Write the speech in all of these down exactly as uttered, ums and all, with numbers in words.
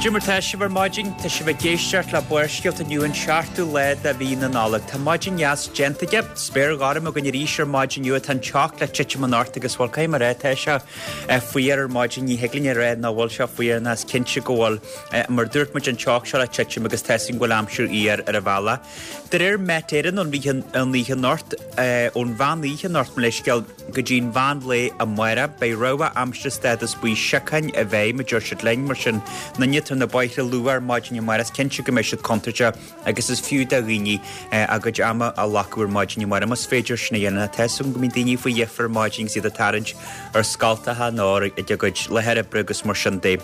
Cad é mar tá sibh ar maidin tá sibh ag éisteacht le Barrscéalta inniu an seachtú lá de mhí na Nollag. Tá maidin dheas déanta aige, spéir ghorm againn arís ar maidin inniu tá an teocht le titim anocht agus bhuel caithfidh mé a rá tá sé fuar ar maidin ní thig linn a rá nach bhfuil sé fuar ná is cinnte go bhfuil mar dúirt muid an teocht seo le titim agus tá sin go bhfuil aimsir fhuar ar an bhealach. De réir Met Éireann ón an oíche anocht ón mheán oíche anocht mar leithscéal go dtí'n mheán lae amárach beidh rabhadh aimsire stádas buí síocháin i bhfeidhm a deir siad linn mar sin na tar na bóithre luath ar maidin amárach is cinnte go mbeidh siad contúirteach agus is fiú do dhaoine a gcuid ama a ghlacadh ar maidin amárach más féidir sin a dhéanamh tá go mbíonn daoine faoi dheifir ar maidin iad ag tarraingt ar scoltacha nó ag a gcuid láthair oibre agus mar sin de.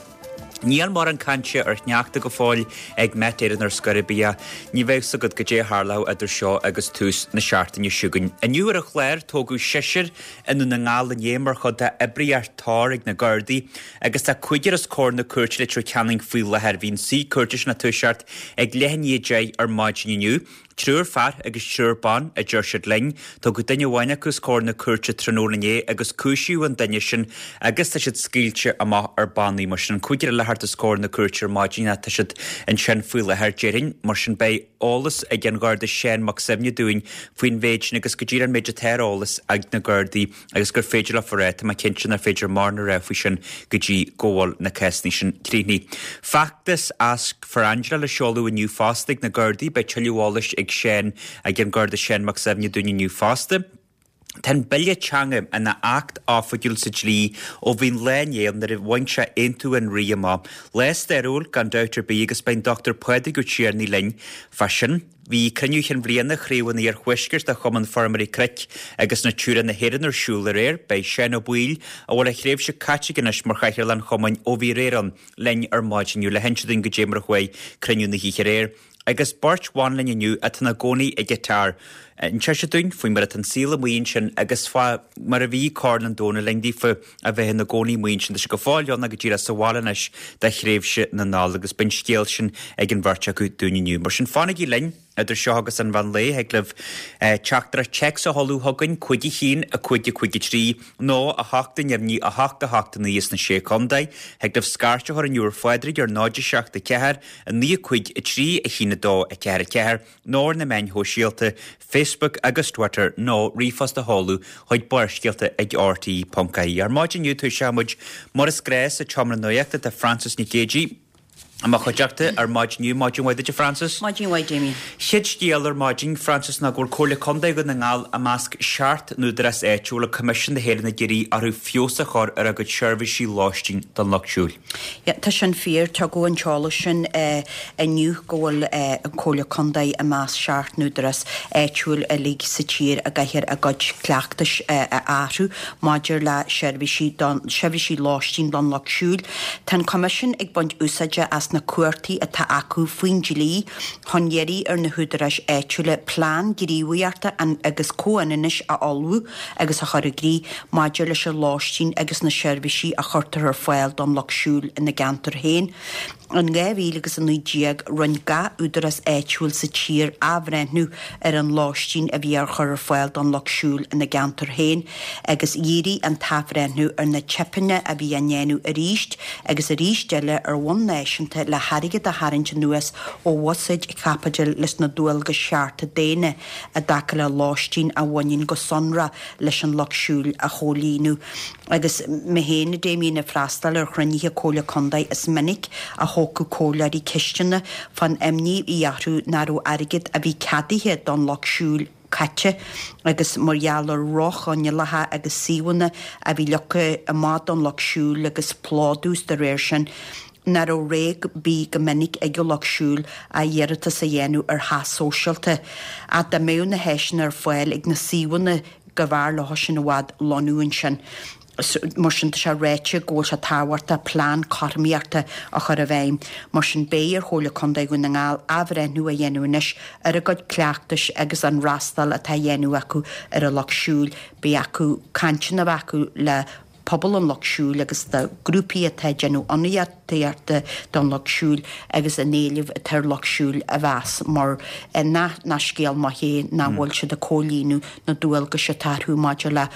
Níl mórán cainte ar shneachta go fóill ag Met Éireann ar scor ar bith. Ní bheadh a fhios agat goidé a tharlódh idir seo agus tús na seachtaine seo chugainn. Inniu ar an chlár tógadh seisear i nDún na nGall inné mar chuid d'oibríocht Tor ag na Gardaí agus tá cúigear os comhair na cúirte i Leitir Ceanainn faoi láthair bhí an suí cúirte sin ag toiseacht ag leath i ndiaidh a deich ar maidin inniu. Triúr fear agus triúr ban a deir siad linn, Tugadh duine amháin acu os comhair na cúirte tráthnóna inné agus cúisíodh an duine sin agus tá siad scaoilte amach ar bannaí mar sin an cúigear eile thart os comhair na cúirte ar maidin tá siad ansin faoi láthair déarfainn mar sin beidh eolas ag an Gharda Seán Mac Suibhne dúinn faoin mhéid sin agus go dtí an méid atá ar eolas ag na Gardaí agus gur féidir le rá tá mé cinnte nach féidir mórán a rá faoi sin go dtí go bhfuil na cásanna sin críochnaithe. Feachtas Ask for Angela le seoladh inniu fosta ag na Gardaí beidh tuilleadh eolais ag Seán ag an Garda Seán Mac Suibhne dúinn inniu fosta. Tá an bille teanga ina acht oifigiúil sa dlí ó bhí'n lá inné nuair a bhain sé aontú an rí amach. Lá stairiúil gan dabht ar bith agus beidh Dr Pádraig Ó Tiarnaigh linn fá sin. Bhí cruinniú chinn bhliana Chraobh an Iarthuaiscirt de Chumann Feirmeoirí Cnoic agus Natura na hÉireann ar siúl aréir, beidh Seán Ó Baoill a bhfuil a thréimhse caite anois mar chathaoirleach an chumainn ó bhí aréir ann linn ar maidin inniu le hinse dúinn goidé mar a chuaigh cruinniú na hoíche aréir. Agus beirt bhan linn inniu atá ina gcónaí i gCatar. Inseoidh siad dúinn faoi mar atá an saol amuigh ansin agus fá mar a bhí Corn an Domhain linn daofa a bheith ina gcónaí amuigh ansin tá sé go fóill ann go díreach sa bhaile anois do thréimhse na Nollag agus beidh an scéal sin ag an bheirt acu dúinn inniu. Mar sin fanaigí linn idir seo agus an mheán lae thig libh teachtaireacht téacs a sheoladh chugainn cúig a haon a cúig a cúig a trí nó a hocht a neamhní a hocht a hocht a naoi sna sé chontae, thig libh scairt a chur inniu ar Phádraig ar náid a seacht a ceathair a naoi a cúig a trí a haon a dó a ceathair a ceathair nó ar na meáin shóisialta Facebook agus Twitter nó ríomhphost a sheoladh chuig barrscéalta ag RTÉ.ie. Ar maidin inniu toiseoidh muid mar is gnách sa tseomra nuachta tá Francis Nic Géadaigh i mo chuideachta ar maidin inniu maidin mhaith duit Francis. Maidin mhaith Damien. Chéad scéal ar maidin Francis ná go bhfuil Comhairle Contae Dhún na nGall i measc seacht n-údarás áitiúil a Coimisiún na hÉireann ag iarraidh orthu feabhas a chur ar a gcuid seirbhísí lóistín don lucht siúil. Ja, tá sin fíor tugadh an t-eolas sin uh, inniu go bhfuil uh, an Comhairle Contae i measc seacht n-údarás áitiúil uilig sa tír a gcaithfidh a gcuid cleachtais uh, a athrú maidir le seirbhísí seirbhísí lóistín don lucht siúil. Tá an Coimisiún ag baint úsáide as na cumhachtaí atá acu faoin dlí chun iarraidh ar na húdaráis áitiúla plean gníomhaíochta agus comhionannais a ullmhú agus a chur i gcrích maidir leis an lóistín agus na seirbhísí a chuirtear ar fáil don lucht siúil ina gceantar féin. In dhá mhíle agus a naoi déag rinne gach údarás áitiúil sa tír athbhreithniú ar an lóistín a bhí ar chur ar fáil don lucht siúil ina gceantar féin, agus dhírigh an t-athbhreithniú ar na teipeanna a bhí á ndéanamh arís agus arís eile ar bhonn náisiúnta le hairgead a tharraingt anuas ó bhuiséid chaipitil leis na dualgais chearta daonna i dtaca le lóistín a bhaineann go sonrach leis an lucht siúil a chomhlíonadh. Agus mé féin a Damien ag freastal ar chruinnithe Comhairle Contae is minic a thógadh comhairleoirí ceisteanna fán imní a bhí orthu nach raibh airgead a bhí ceadaithe don lucht siúil caite agus mar gheall ar dhroch-choinníollacha agus suíomhanna a bhí leagtha amach don lucht siúil agus plódú de réir sin nach raibh rogha ar bith go minic ag an lucht siúil ach iarratas a dhéanamh ar theach sóisialta. Ach dá mbeadh na háiseanna ar fáil ag na suíomhanna go mb'fhearr leo sin i bhfad lonnú ansin. Mar sin tá sé ráite go bhfuil sé tábhachtach plean cothromaíochta a chur i bhfeidhm, mar sin beidh ar Chomhairle Contae Dhún na nGall athbhreithniú a dhéanamh anois ar a gcuid cleachtais agus an fhreastal atá á dhéanamh acu ar an lucht siúil, beidh acu cainteanna acu le pobal an lucht siúil agus de grúpaí atá ag déanamh ionadaíochta don lucht siúil agus an éileamh atá ar lucht siúil a mheas mar nach nach scéal maith é nach bhfuil siad ag comhlíonadh na dualgais atá orthu maidir le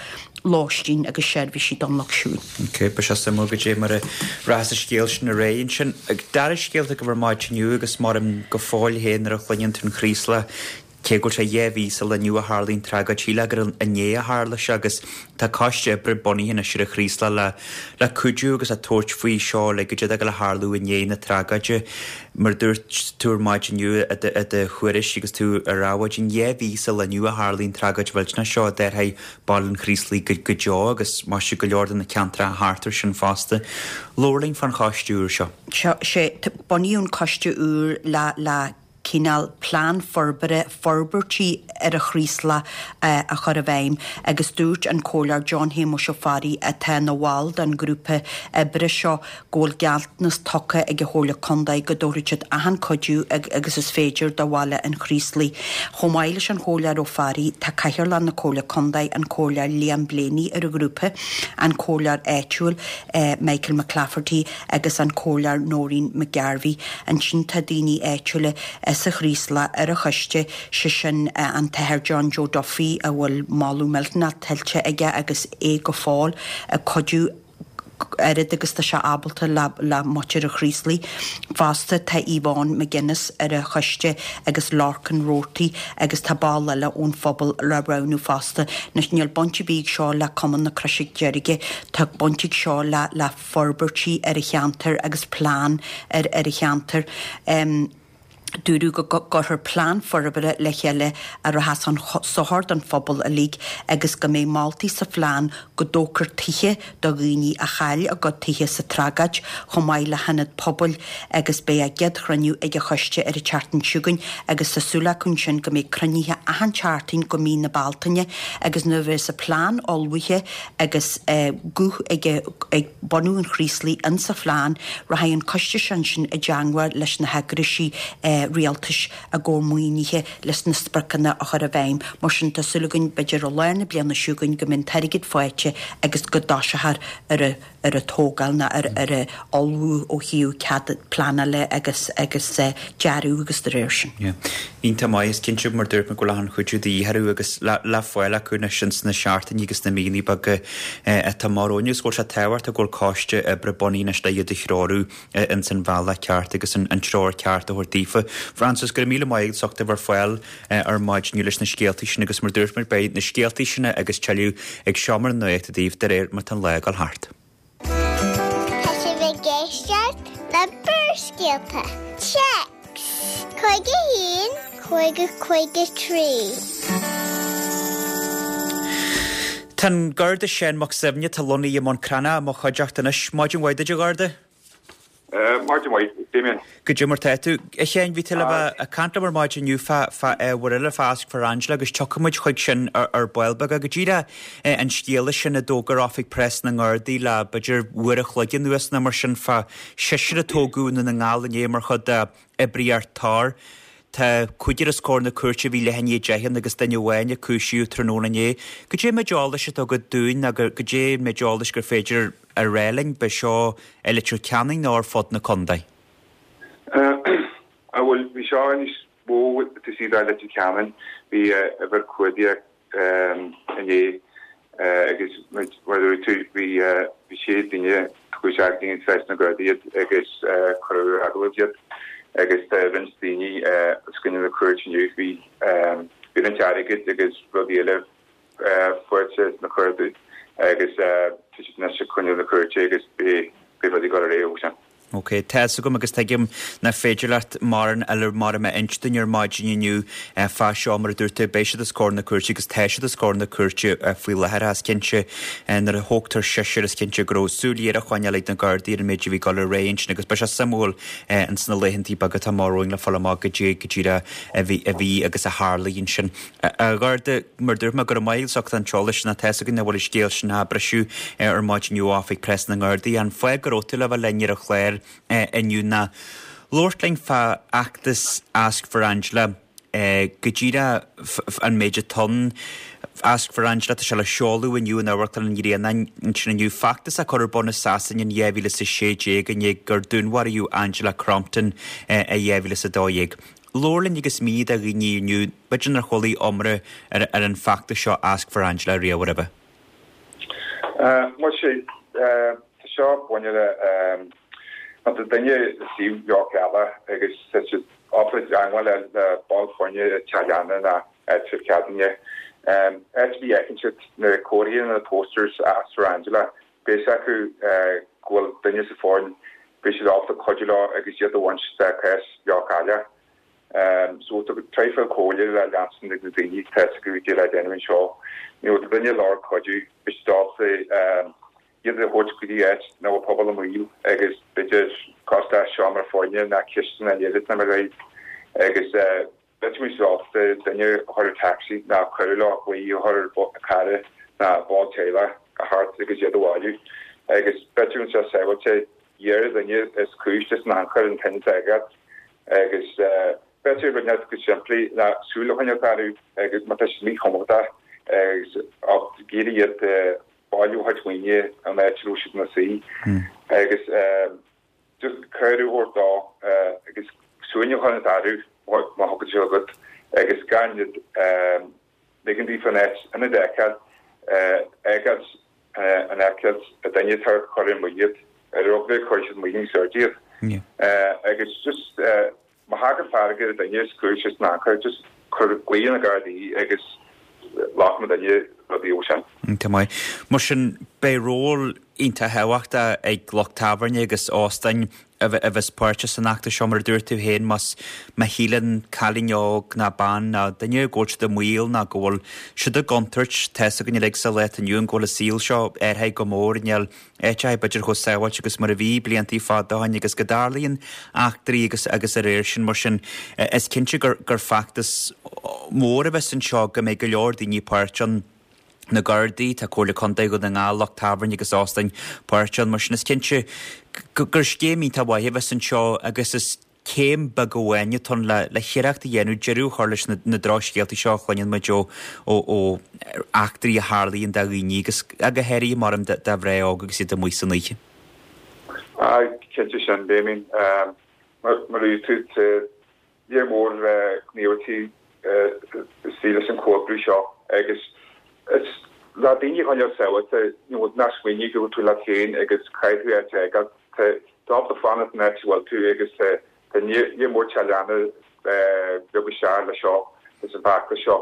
lóistín agus seirbhísí don lucht siúil. Ok, beidh sé suimiúil goidé mar a rachas an scéal sin ar aghaidh ansin. Dara scéal atá agaibh ar maidin inniu agus maram go fóill féin nuair a chluineann tú an Chraoslach, cé go bhfuil sé dhá mhí sa lá inniu a tharlaigh an tragóid, shílfeá gur inné a tharla sé agus tá coiste oibre bunaithe anois ar an Chraoslach le le cuidiú agus le tabhairt faoi seo le goidé atá ag gabháil a tharlú i ndiaidh na tragóide. Mar a dúirt tú ar maidin inniu i do i do thuairisc agus tú ar Adhmhaidin, dhá mhí sa lá inniu a tharlaigh an tragóid mhillteanach seo a d'athraigh Baile an Chraoslaigh go go deo agus maise go leor de na ceantracha thart air sin fosta. Labhair linn fán choiste úr seo. Seo, sé, bunaíodh an coiste úr le le cineál plean forbartha, forbairtí ar an Chraoslach a chur i bhfeidhm agus dúirt an Comhairleoir John Shéamuis Ó Fearraigh atá ina bhall den ghrúpa oibre seo go bhfuil gealltanas tugtha ag an Chomhairle Contae go dtabharfaidh siad achan cuidiú agus is féidir do bhaile an Chraoslaigh. Chomh maith leis an Chomhairleoir Ó Fearraigh tá Cathaoirleach na Comhairle Contae, an Comhairleoir Liam Blaney ar an ghrúpa, an Comhairleoir áitiúil Michael McClafferty agus an Comhairleoir Noreen McGarvey. Ansin tá daoine áitiúla sa Chraoslach ar an choiste, sé sin an tAthair John Joe Duffy a bhfuil moladh millteanach tuillte aige agus é go fóill ag cuidiú oiread agus tá sé ábalta le le muintir an Chraoslaigh. Fosta tá Yvonne McGuinness ar an choiste agus Lorcan Roarty agus tá ball eile ón phobal le roghnú fosta. Anois níl baint ar bith ag seo le Cumann na Croise Deirge, tá baint ag seo le le forbairtí ar an cheantar agus plean ar ar an cheantar. Dúradh go gcuirfear plean forbartha le chéile a rachas chun sochair don phobal uilig agus go mbeidh moltaí sa phlean go dtógfar tithe do dhaoine a chaill a gcuid tithe sa tragóid chomh maith le hionad pobail agus beidh a gcéad chruinniú ag an choiste ar an tseachtain seo chugainn agus tá súil acu ansin go mbeidh cruinnithe achan tseachtain go mí na Bealtaine agus nuair a bheas an plean ullmhaithe agus guth ag ag bunadh an Chraoslaigh insa phlean, rachaidh an coiste seo ansin i dteangmháil leis na heagraisí rialtais i gcomhair maoinithe leis na spriocanna a chur i bhfeidhm. Mar sin, tá súil againn, b'fhéidir i lár na bliana seo chugainn, go mbeidh an t-airgead faighte agus go dtoiseofar ar an ar an tógáil nó ar ar an ullmhú ó thaobh cead pleanála agus agus dearadh agus de réir sin. Yeah. Iontach maith, is cinnte mar dúirt mé go bhfuil achan chuidiú de dhíth orthu agus le le fáil acu anois ins na seachtainí agus na míonna beaga atá amach romhainn agus go bhfuil sé tábhachtach go bhfuil coiste oibre bunaithe anois le iad a threorú ins an bhealach ceart agus an treoir ceart a thabhairt daofa. Frances, go raibh míle maith agat as ucht a bheith ar fáil ar maidin inniu leis na scéaltaí sin agus mar dúirt muid beidh na scéaltaí sin agus tuilleadh ag Seomra na Nuachta daoibh de réir mar tá an lá ag dul thart. Tá sibh ag éisteacht le Barrscéalta. Téacs cúig a haon, cúig a cúig a trí. Tá an Garda Seán Mac Suibhne atá lonnaithe i mBun Cranncha i mo chuideachta anois. Maidin mhaith duit a Gharda. Maidin mhaith, Damien. Goidé mar tá tú. A Sheáin, bhí tú le bheith ag caint liom ar maidin inniu fá fá ábhar eile, fá Ask for Angela agus tiocfaidh muid chuig sin ar ar ball beag. Go díreach an scéala sin a d'fhógair Oifig Preas na nGardaí le b'fhéidir uair a chloig anuas nó mar sin fá seisear a tógadh i nDún na nGall inné mar chuid d'oibríocht Tor. Tá cúigear os comhair na cúirte a bhí leath i ndiaidh a deich ann agus duine amháin a cúisíodh tráthnóna inné. Goidé an méid eolais atá agat dúinn nó goidé an méid eolais gur féidir a rá linn, b'é seo i Leitir Ceanainn nó ar fud na contae? Á bhuel, bhí seo níos mó taobh istigh de Leitir Ceanainn. Bhí uimhir cuardaigh inné agus mar a dúirt tú, bhí bhí sé duine tugadh isteach go dtí preas na Gardaí iad agus cuireadh ar agallamh iad agus tá roinnt daoine os coinne na cúirte inniu. Bhí bhí roinnt airgid agus rudaí eile faighte sna cuardaigh agus tá siad anois os coinne na cúirte agus beidh rudaí ag dul ar aghaidh ó sin. Ok, tá fhios agam agus tuigim nach féidir leat mórán eile mar a inse dúinn ar maidin inniu fá seo, mar a dúirt tú, beidh siad os comhair na cúirte agus tá siad os comhair na cúirte faoi láthair. Is cinnte nuair a thógtar seisear is cinnte go raibh súil ghéar á choinneáil ag na Gardaí ar an méid a bhí ag dul ar aghaidh ansin agus beidh sé suimiúil ins na laethantaí beaga atá amach romhainn le fáil amach goidé go díreach a bhí a bhí agus a tharlaigh ansin. A Gharda, mar dúirt mé, go raibh maith agat as ucht an t-eolas sin, tá fhios againn nach bhfuil an scéal sin á briseadh ar maidin inniu ó Oifig Preas na nGardaí. An fáth go raibh tú le bheith linn ar an chlár inniu ná labhairt linn fá fheachtas Ask for Angela, go díreach an méid atá ann. Ask for Angela, tá sé le seoladh inniu in Amharclann an Ghrianáin ansin inniu. Feachtas a cuireadh ar bun i Sasain in dhá mhíle is a sé déag i ndiaidh gur dúnmharaíodh Angela Crompton i dhá mhíle is a dó dhéag. Labhair linn agus mínigh do dhaoine inniu, b'fhéidir nár chuala iomrá ar an bhfeachtas seo Ask for Angela riamh roimhe. Muise, tá seo bainte le má tá duine i suíomh leochaileach agus tá siad ábalta teagmháil le ball foirne i teach leanna nó áitreabh ceadúnaithe. Áit ar bith a fheiceann siad na comharthaí nó na posters Ask for Angela, beidh a fhios acu go bhfuil duine sa foireann, beidh siad ábalta cuidiú leo agus iad a bhaint de chás leochaileach. So tá traidhfil comhairle le leanstan ag na daoine tá a fhios acu cad le déanamh anseo. You know, tá duine ag lorg cuidiú, beidh siad ábalta iad a thabhairt go dtí áit ina bhfuil pobal i mbaol agus b'fhéidir cosúil le seomra foirne nó cistin nó leid na mar agus bheadh muid ábalta duine a chur ar taxi nó cuidiú leo glaoch a chur ar cara nó ball teaghlaigh a theacht agus iad a bhailiú agus beidh tú anseo sábháilte iarr ar dhuine is cúis leis an anchor an tine atá agat agus beidh tú rud go simplí ná súil a choinneáil orthu agus má tá siad míchompordach agus ag iarraidh iad bailiú a chuid maoine an áit a raibh siad ina suí agus just cuireadh a thabhairt dó agus suaimhneas a choinneáil orthu má thugann sé agat agus gan iad ligean daofa an áit ina bhfeiceáil fheiceáil an fheiceáil a duine atá ag cur i mbaol iad ar eagla go gcuirfidh siad i mbaol níos airde iad agus just má thagann fearg ar duine is cúis leis an anchor just cuir glaoch ar na Gardaí agus glacann duine rudaí ó sin. Tá maith. Mar sin beidh ról iontach thábhachtach ag lucht tábhairne agus óstáin a bheas páirteach san fheachtas seo mar a dúirt tú féin más má shíleann cailín óg ná bean ná duine go bhfuil siad i mbaol ná go bhfuil siad i gcontúirt tá a fhios againn uilig sa lá atá inniu ann go bhfuil an saol seo athraithe go mór níl áiteacha b'fhéidir chomh sábháilte agus mar a bhí bliantaí fada ó shin agus go dtarlaíonn eachtraí agus agus a réir sin mar sin is cinnte gur gur feachtas mór a bheas anseo go mbeidh go leor daoine páirteach ann. Na Gardaí, tá Comhairle Contae Dhún na nGall, lucht tábhairne agus óstáin páirteach ann, mar sin is cinnte gur scéim iontach mhaith a bheas anseo agus is céim beag amháin atá ann le le hiarracht a dhéanamh deireadh a chur leis na na drochscéaltaí seo a chluineann muid ó ó ó eachtraí a tharlaíonn do dhaoine agus go háirithe mar do do mhná óga agus iad amuigh san oíche. Aye, cinnte sin, Damien. Mar mar a dúirt tú, tá léar mór gníomhaíochtaí istigh leis an chomhoibriú seo agus is le daoine a choinneáil sábháilte, you know, ná smaoinigh go bhfuil tú leat féin agus caithfidh tú áit a fhágáil. Tá tú ábalta fanacht san áit a bhfuil tú agus tá tá léar mór teaghlach beag isteach leis seo, leis an bhfeachtas seo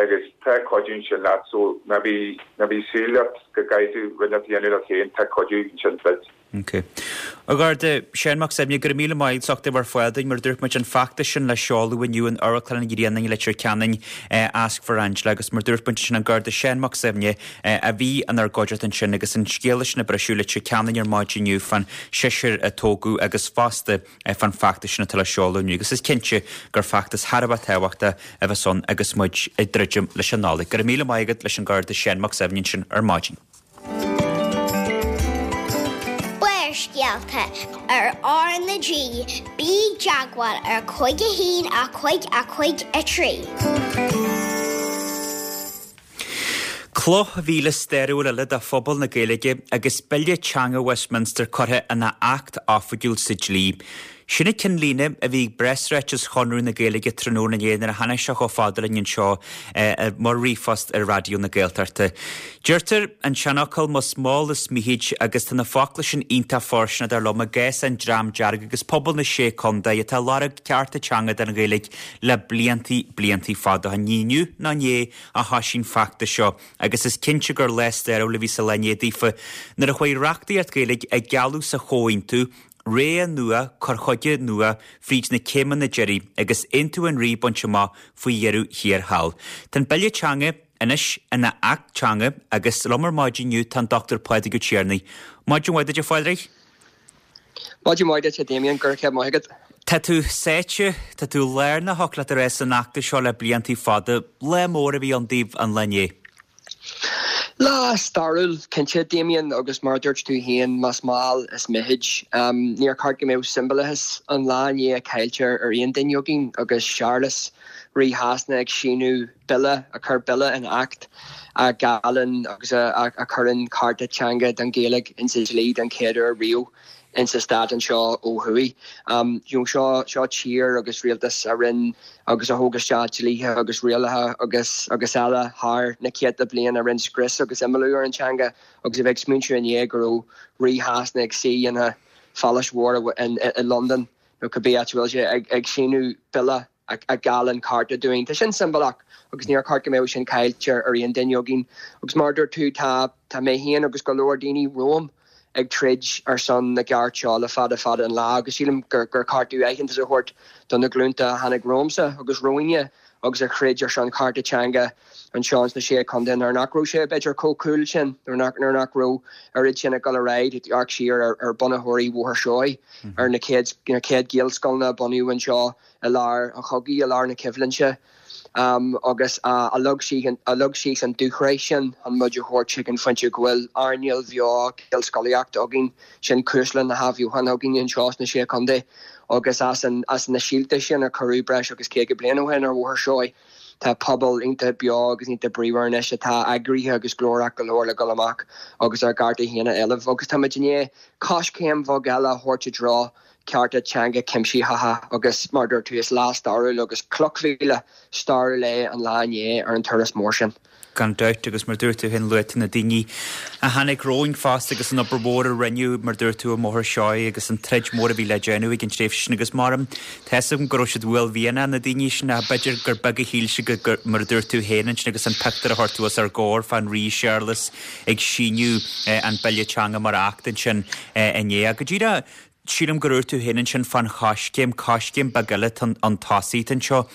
agus tá cuidiú ansin leat so ná bí ná bí ag súil leat go gcaithfidh tú rud inteacht a dhéanamh leat féin, tá cuidiú ansin duit. Ok. A Gharda, Seán Mac Suibhne, go raibh míle maith agat as ucht a bheith ar fáil dúinn. Mar a dúirt muid, an feachtas sin le seoladh inniu in Amharclann an Ghrianáin i Leitir Ceanainn, Ask for Angela, agus mar a dúirt muid, sin an Garda Seán Mac Suibhne a bhí inár gcuideachta ansin agus an scéala sin ag briseadh i Leitir Ceanainn ar maidin inniu fán seisear a tógadh agus fosta fán feachtas sin atá le seoladh inniu. Agus is cinnte gur feachtas thar a bheith tábhachtach a bheas ann agus muid ag druidim leis an Nollaig. Go raibh míle maith agat leis an Garda Seán Mac Suibhne ansin ar maidin. Barrscéalta ar R na G, bí i dteagmháil ar cúig a haon a cúig a cúig a trí. Cloch mhíle stairiúil eile do phobal na Gaeilge agus Bille Teanga Westminster curtha ina acht oifigiúil sa dlí. Sin an cinnlíne a bhí ag preasráiteas Chonradh na Gaeilge tráthnóna inné nuair a tháinig sé chomh fada linn anseo mar ríomhphost ar Raidió na Gaeltachta. Deirtear an seanfhocal más mall is mithid agus tá na focla sin iontach fóirsteanach dar liom i gcás an Dream Dearg agus pobal na Sé Contae atá ag lorg cearta teanga don Ghaeilge le bliantaí bliantaí fada. Ní inniu ná inné a thoisigh an feachtas seo agus is cinnte gur lá stairiúil a bhí sa lá inné daofa nuair a chuaigh reachtaíocht Ghaeilge a gealladh sa Chomhaontú Ré nua, cur chuige nua fríd na céimeanna deiridh agus Aontú an Rí bainte amach faoi dheireadh thiar thall. Tá an Bille Teanga anois ina Acht Teanga agus liom ar maidin inniu tá an Dochtúir Pádraig Ó Tiarnaigh. Maidin mhaith duit a Phádraig. Maidin mhaith duit a Damien, go raibh céad maith agat. Tá tú sáite, tá tú lárnach thiocfadh leat a rá san fheachtas seo le bliantaí fada. Lá mór a bhí ann daoibh an lá inné. Lá stairiúil, cinnte, Damien, agus mar a dúirt tú féin, más mall is mithid. Níor cheart go mbeadh siombalachas an lá inné caillte ar aon duine againn agus Séarlas, Rí Shasana, ag síniú bille, a chuir bille ina acht a gheallann agus a chuireann cearta teanga don Ghaeilge insa dlí don chéad uair riamh. insa stát anseo ó thuaidh. You know, seo seo tír agus rialtas a rinne agus a thóg isteach dlíthe agus rialacha agus agus eile thar na céadta bliain a rinne scrios agus imeallú ar an teanga agus a bheith ag smaointiú inné go raibh Rí Shasana ag suí ina phalás mhór i Londain nó cibé áit a bhfuil sé ag ag síniú bille a gheallann cearta dúinn. Tá sin siombalach agus níor cheart go mbeadh sin caillte ar aon duine againn. Agus mar a dúirt tú tá tá mé féin agus go leor daoine romham ag troid ar son na gceart seo le fada fada an lá agus sílim gur gur ceart dúinn aitheantas a thabhairt do na glúnta a tháinig romhamsa agus romhainne agus a throid ar son cearta teanga anseo sna sé chontae nuair nach raibh sé b'fhéidir chomh cool sin nuair nach nuair nach raibh oiread sin ag dul ar aghaidh amharc siar ar ar bunaitheoirí Bhóthar Seoighe ar na chéad na chéad Ghaelscoileanna a bunaíodh anseo i lár an chogaidh i lár na coimhlinte um, agus uh, a leag sí a leag síos an dúshraith sin an muid a thabhairt chuig an phointe go bhfuil earnáil bheo Gaelscolaíocht againn sin cuisle na hathbheochan againn anseo sna sé chontae agus as an as na síolta sin a cuireadh breis agus caoga bliain ó shin ar Bhóthar Seoighe. Tá pobal iontach beo agus iontach bríomhar anois atá eagraithe agus glórach go leor le dul amach agus ár gcearta féin a éileamh agus táimid i ndiaidh coiscéim bheag eile a thabhairt i dtreo cearta teanga cuimsitheacha agus mar dúirt tú is lá stairiúil agus cloch mhíle stairiúil é an lá inné ar an turas mór sin. Gan dabht agus mar dúirt tú féin luaigh tú na daoine a tháinig romhainn fosta agus an obair mhór a rinneadh mar dúirt tú i mBóthar Seoighe agus an troid mhór a bhí le déanamh ag an tréimhse sin agus mar tá a fhios agam go raibh siad uaillmhianach na daoine sin ach b'fhéidir gur beag a shíl siad go mar a dúirt tú féin ansin agus an pictiúr a chuir tú os ár gcomhair fán Rí Séarlas ag síniú an bille teanga mar acht ansin inné. Go díreach sílim gur dúirt tú féin ansin fán choiscéim, coiscéim beag eile an tosaigh anseo.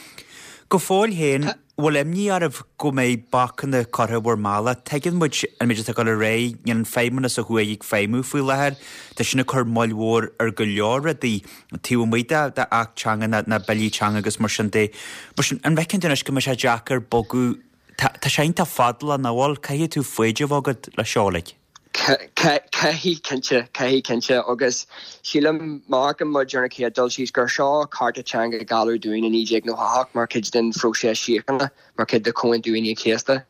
Go fóill féin, bhfuil imní oraibh go mbeidh bacanna curtha bhur mbealach? Tuigeann muid an méid atá ag dul ar aghaidh, níl an feidhmeannas ó thuaidh ag feidhmiú faoi láthair. Tá sin ag cur moill mhór ar go leor rudaí taobh amuigh de de acht teanga ná ná billí teanga agus mar sin de. Mar sin, an bhfeiceann tú anois go mbeidh sé deacair bogadh Tá tá sé iontach fadálach nach bhfuil? Caithfidh tú foighid a bheith agat leis seo uilig. Caithfidh cinnte, caithfidh cinnte agus sílim má amharcann muid ar an chéad dul síos gur seo cearta teanga a gealladh dúinn i naoi déag nócha a hocht mar chuid den phróiseas síochána, mar chuid de Chomhaontú Aoine an Chéasta.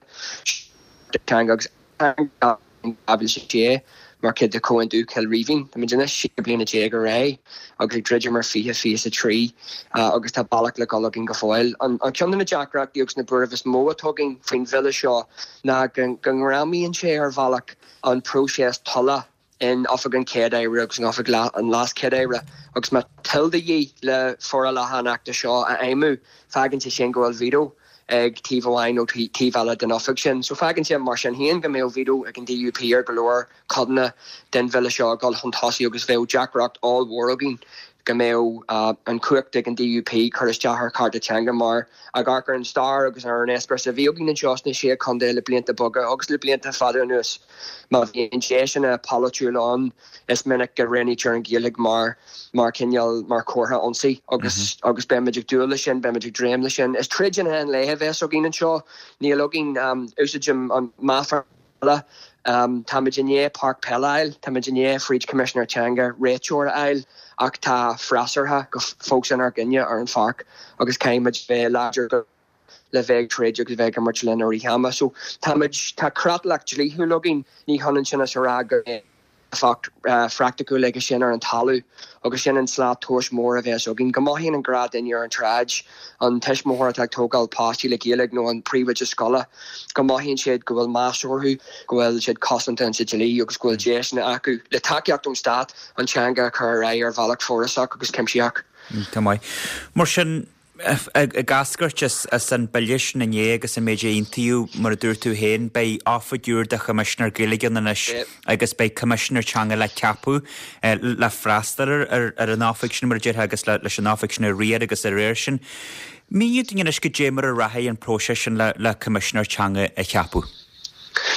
Teanga agus dhá mhíle a sé mar chuid de Chomhaontú Chill Rímhinn. Táimid anois sé bliana déag ar aghaidh agus ag druidim ar fiche fiche a trí agus tá bealach le dul againn go fóill. An ceann de na deacrachtaí agus na buairimh is mó atá againn faoin bhille seo ná go ngreamaíonn sé ar bhealach an próiseas tola in Oifig an Chéad-Aire agus in Oifig an LeasChéad-Aire agus má toil de dhíth le forálacha an Achta seo a fheidhmiú, fágann sé sin go bhfuil veto ag taobh amháin nó taobh eile den oifig sin. So fágann sé mar sin féin go mbeadh veto ag an D U P ar go leor codanna den bhille seo ag dul chun tosaigh agus bheadh deacracht ollmhór againn go mbeadh an chumhacht ag an D U P cur isteach ar chearta teanga mar ag amharc ar an stair agus ar an eispéireas a bhí againn anseo sna sé chontae le blianta beaga agus le blianta fada anuas. Má bhíonn deiseanna polaitiúla ann is minic go roghnaítear an Ghaeilge mar mar cineál mar chomhartha ionsaí agus agus beimid ag dúil leis sin, beimid ag dréim leis sin. Is troid in aghaidh an lae a bheas againn anseo. Níl againn úsáidim an meafar eile. Táimid i ndiaidh páirc peile a fháil, táimid i ndiaidh fríd Coimisinéir Teanga réiteoir a fháil ach tá freasúra go fós inár gcoinne ar an pháirc agus caithfimid bheith láidir go le bheith ag troid agus bheith ag imirt linn i rith ama. So táimid, tá creatlach dlíthiúil againn, ní hionann sin is a rá go mbeidh éifeacht phraiticiúil aige sin ar an talamh agus sin an slat tomhais mór a bheas againn. Go mothaíonn an gnáthdhuine ar an tsráid, an tuismitheoir atá ag tógáil páistí le Gaeilge nó an príomhoide scoile, go mothaíonn siad go bhfuil meas orthu, go bhfuil siad cosanta insa dlí agus go bhfuil deiseanna acu, le tacaíocht ón stát, an teanga a chur ar aghaidh ar bhealach fórasach agus cuimsitheach. Tá maith. Mar sin, Ag eascairt as an bille sin inné agus an méid a aontaíodh, mar a dúirt tú féin, beidh oifig úr do Choimisinéir Gaeilge ann anois agus beidh Coimisinéir Teanga le ceapadh le freastal ar an oifig sin, mar a déarfá, agus leis an oifig sin a riar agus a réir sin. Míniú dúinn anois goidé mar a rachaidh an próiseas sin le Coimisinéir Teanga a cheapadh.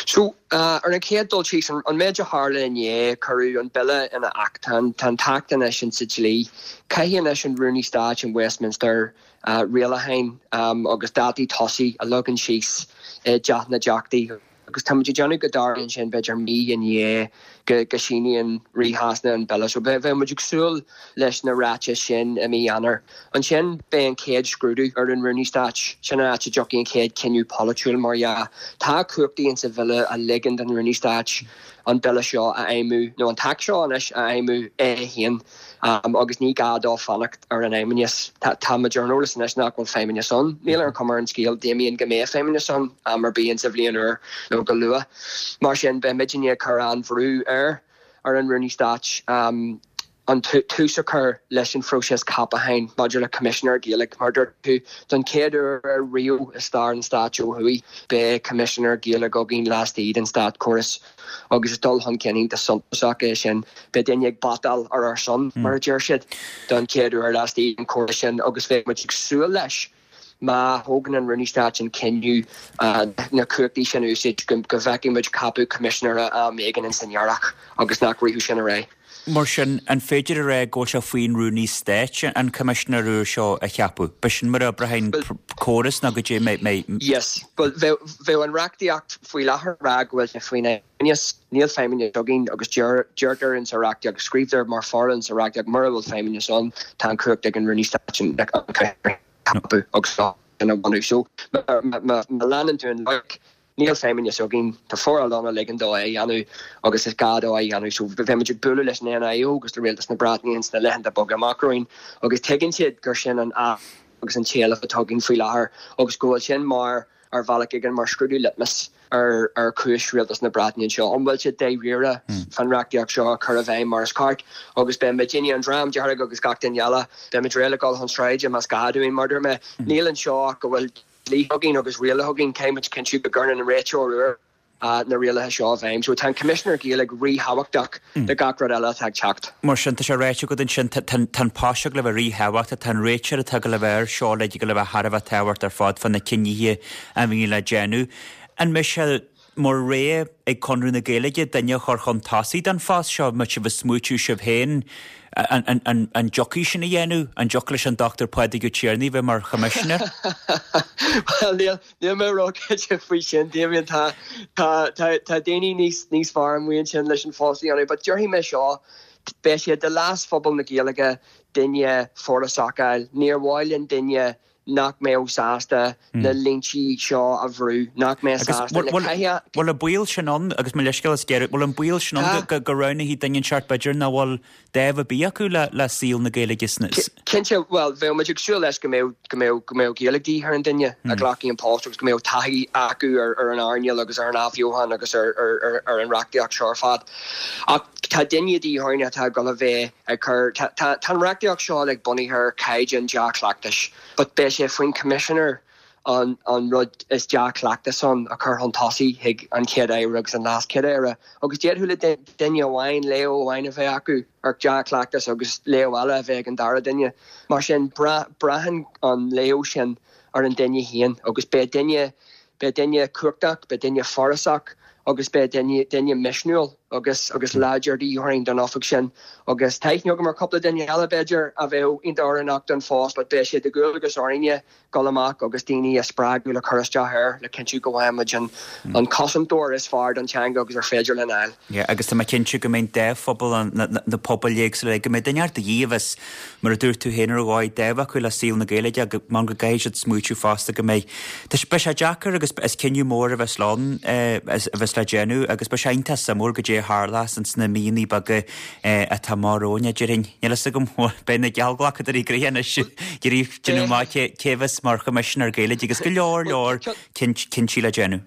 So, ar an chéad dul síos, an méid a tharla inné, cuireadh an bille ina acht. Tá an t-acht anois insa dlí. Caithfidh anois an Rúnaí Stáit in Westminster rialacháin agus dátaí tosaigh a leagan síos i dTeach na dTeachtaí Agus tá muid ag déanamh go dtarlaíonn sin b'fhéidir mí i ndiaidh go go síníonn Rí Shasana an bille. So beidh muid ag súil leis na ráitis sin i mí Eanáir. Ansin beidh an chéad scrúdú ar an Rúnaí Stáit, sin an áit a dtiocfaidh an chéad cinneadh polaitiúil mar dhea. Tá cumhachtaí insa bhille a ligeann don Rúnaí Stáit an bille seo a fheidhmiú, nó an t-acht seo anois a fheidhmiú é féin, agus ní gá dó fanacht ar an Fheidhmeannas. Tá muid ar an eolas anois nach bhfuil Feidhmeannas ann. Níl ar an chuma ar an scéal, Damien, go mbeidh Feidhmeannas ann am ar bith insa bhliain úr nó go luath. Mar sin, beidh muidinne ag cur an-bhrú ar ar an Rúnaí Stáit an tús a chur leis an phróiseas ceapacháin maidir le Coimisinéir Gaeilge. Mar dúirt tú, don chéad uair riamh i stair an stáit ó thuaidh, beidh Coimisinéir Gaeilge againn laistigh den státchóras agus is dul chun cinn iontach suntasach é sin. Beidh duine ag batáil ar ár son, mar a deir siad, don chéad uair laistigh den chóras sin agus bheadh muid ag súil leis má thógann an Rúnaí Stáit an cinneadh na cumhachtaí sin a úsáid go bhfeicfidh muid ceapadh Coimisinéara am éigin ins an earrach agus nach rithfeadh sin ar aghaidh. Mar sin, an féidir a rá go bhfuil sé faoin Rúnaí Stáit an Coimisinéir úr seo a cheapadh? B'shin mar a oibreoidh an córas nó go dté mé mé. Yes, bhuel bheadh an reachtaíocht faoi láthair ag rá go bhfuil sé faoin Fheidhmeannas. Níl Feidhmeannas againn agus deirtear in sa reachtaíocht agus scríobhtar mar foráil sa reachtaíocht mura bhfuil Feidhmeannas ann tá an chumhacht ag an Rúnaí Stáit an Coimisinéir a cheapadh agus sin a bhunú. So má leanann tú an loighic, níl feidhmeannas againn, tá foráil ann a ligeann dó é a dhéanamh agus is gá dó é a dhéanamh. So beidh muid ag bualadh leis an NIO agus le Rialtas na Breataine ins na laethanta beaga amach romhainn agus tuigeann siad gur sin an agus an t-éileamh atá againn faoi láthair agus go bhfuil sin mar ar bhealach éigin mar scrúdú litmus ar ar chúis Rialtas na Breataine anseo. An bhfuil siad dáiríre fán reachtaíocht seo a chur i bhfeidhm mar is ceart agus beidh muidinne, an Dream Dearg agus gach duine eile, beidh muid réidh le dul chun sráide más gá dúinn, mar dúirt mé. Níl anseo ach go bhfuil dlíthe againn agus rialacha againn, caithfidh muid cinntiú go gcuireann an réiteoir úr na rialacha seo i bhfeidhm. So tá an Coimisinéir Gaeilge ríthábhachtach do gach rud eile atá ag teacht. Mar sin, tá sé ráite agat ansin, tá an post seo le bheith ríthábhachtach, tá an réiteoir atá le bheith air seo le le bheith thar a bheith tábhachtach ar fad fá na cinnithe a bhíonn le déanamh. An mbeidh sé mar rogha ag Conradh na Gaeilge duine a chur chun tosaigh don phost seo, má sibh ag smaoitiú sibh féin an dtiocfaidh sin a dhéanamh? An dtiocfadh leis an Dochtúir Pádraig Ó Tiarnaigh bheith mar Choimisinéir? Bhuel, níl níl mé róchinnte faoi sin, Damien. Tá tá tá tá daoine níos níos fearr amuigh ansin leis an phost a dhéanamh, but déarfaidh mé seo, beidh sé de leas phobal na Gaeilge duine forásach a fháil. Níor mhaith linn duine nach mbeadh sásta na línte seo a bhrú, nach mbeadh sásta na caithfidh. Bhfuil an baol sin ann, agus mo leithscéal as géarú, bhfuil an baol sin ann go go roghnófaí duine inteacht b'fhéidir nach bhfuil dáimh ar bith acu le le saol na Gaeilge sna. Cinnte, bhuel, bheadh muid ag súil leis go mbeadh go mbeadh go mbeadh Gaeilge de dhíth ar an duine a ghlacfaidh an post agus go mbeadh taithí acu ar ar an earnáil agus ar an athbheochan agus ar ar ar ar an reachtaíocht seo ar fad. Ach tá duine de dhíth orainn atá ag dul a bheith ag cur, tá tá tá an reachtaíocht seo like bunaithe ar chaighdeán dea-chleachtais but beidh sé faoin Commissioner an an rud is dea-chleachtas ann a chur chun tosaigh chuig an Chéad Aire agus an LeasChéad-Aire. Agus d'fhéadfadh le duine amháin léamh amháin a bheith acu ar dea-chleachtas agus léamh eile a bheith ag an dara duine. Mar sin, braitheann an léamh sin ar an duine féin agus beidh duine beidh duine cumhachtach, beidh duine forásach agus beidh duine duine misniúil agus agus láidir de dhíth orainn don oifig sin. Agus tá aithne agam ar chúpla duine eile b'fhéidir a bheadh iontach oiriúnach don phost but beidh sé de dhualgas orainne dul amach agus daoine a spreagadh le cur isteach air le cinntiú go bhfaighidh muid an an cosantóir is fearr don teanga agus ar féidir linn a fháil. Yeah, agus tá mé cinnte go mbeidh dá phobal an na na pobail éagsúla go mbeidh duine de dhíth a bheas mar a dúirt tú féin ar dhóigh dáimh acu le saol na Gaeilge go go gcaithfidh siad smaoitiú fosta go mbeidh Tá beidh sé deacair agus is cinneadh mór a bheas ann a bheas le déanamh agus beidh sé iontach suimiúil goidé a tharlós ins na míonna beaga atá amach romhainn a déarfainn. Níl a fhios agam beidh na geallghlacadóirí gnoitheach anois ag iarraidh déanamh amach cé cé a bheas mar Choimisinéir Gaeilge agus go leor leor cinntí le déanamh.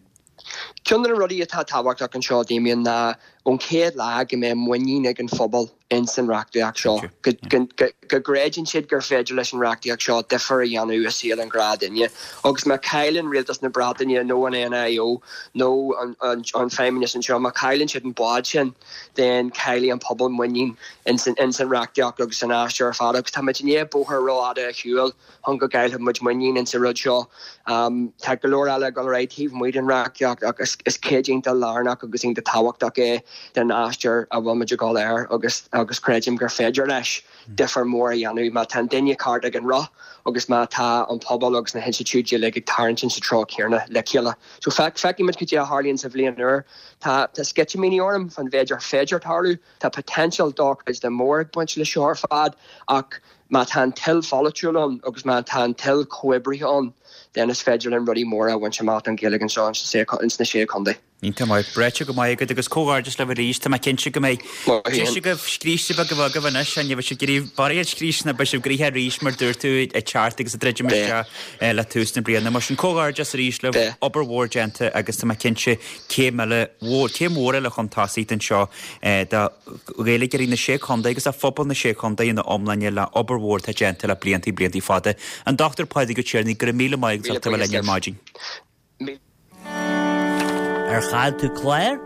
Ceann de na rudaí atá tábhachtach anseo, Damien, ná ón chéad lá go mbeidh muinín ag an phobal ins an reachtaíocht seo, go gcreideann siad gur féidir leis an reachtaíocht seo difear a dhéanamh i saol an ghnáthdhuine. Agus má chailleann rialtas na Breataine nó an NIO nó an, an, an Feidhmeannas anseo, má chailleann siad an bád sin, then caillfidh an pobal muinín ins an, ins an reachtaíocht agus san aistear ar fad. Agus tá muid i ndiaidh bóthar rófhada a shiúl chun go gcaillfidh muid muinín ins an rud seo. Um, tá go leor eile ag dul ar aghaidh taobh amuigh den reachtaíocht ach is, is cuid iontach lárnach agus iontach tábhachtach é den aistear a bhfuil muid ag dul air agus agus creidim gur féidir leis difear mór a dhéanamh má tá an duine ceart ag an roth agus má tá an pobal agus na hinstitiúidí uilig ag tarraingt sa treo céanna le chéile. So feicfimid cad é a tharlaíonn sa bhliain úr Tá tá sceitimíní orm fan mhéid ar féidir tarlú, tá potential dochreidte mór ag baint le seo ar fad ach má tá an toil pholaitiúil ann agus má tá an toil comhoibrithe ann, then is féidir linn rudaí móra a bhaint amach don Ghaeilge anseo ins na sé chontae. Iontach maith, breite go maith agat agus comhghairdeas libh arís, tá mé cinnte go mbeidh deis agaibh scríste beag a bheith agaibh anois, ní bheidh sibh ag iarraidh barraíocht scríste beidh sibh gnoitheach arís mar dúirt tú ag teacht agus ag druidim isteach le tús na bliana. Mar sin comhghairdeas arís libh, obair mhór déanta agus tá mé cinnte céim eile mhór, céim mhór eile chun tosaigh anseo do Ghaeilgeoirí na Sé Chontae agus do phobal na Sé Chontae ina iomláine le obair mhór atá déanta le blianta blianta fada. An Dochtúir Pádraig Ó Tiarnaigh, go raibh míle maith agat as ucht a bheith linn ar maidin. Ar chaill tú clár?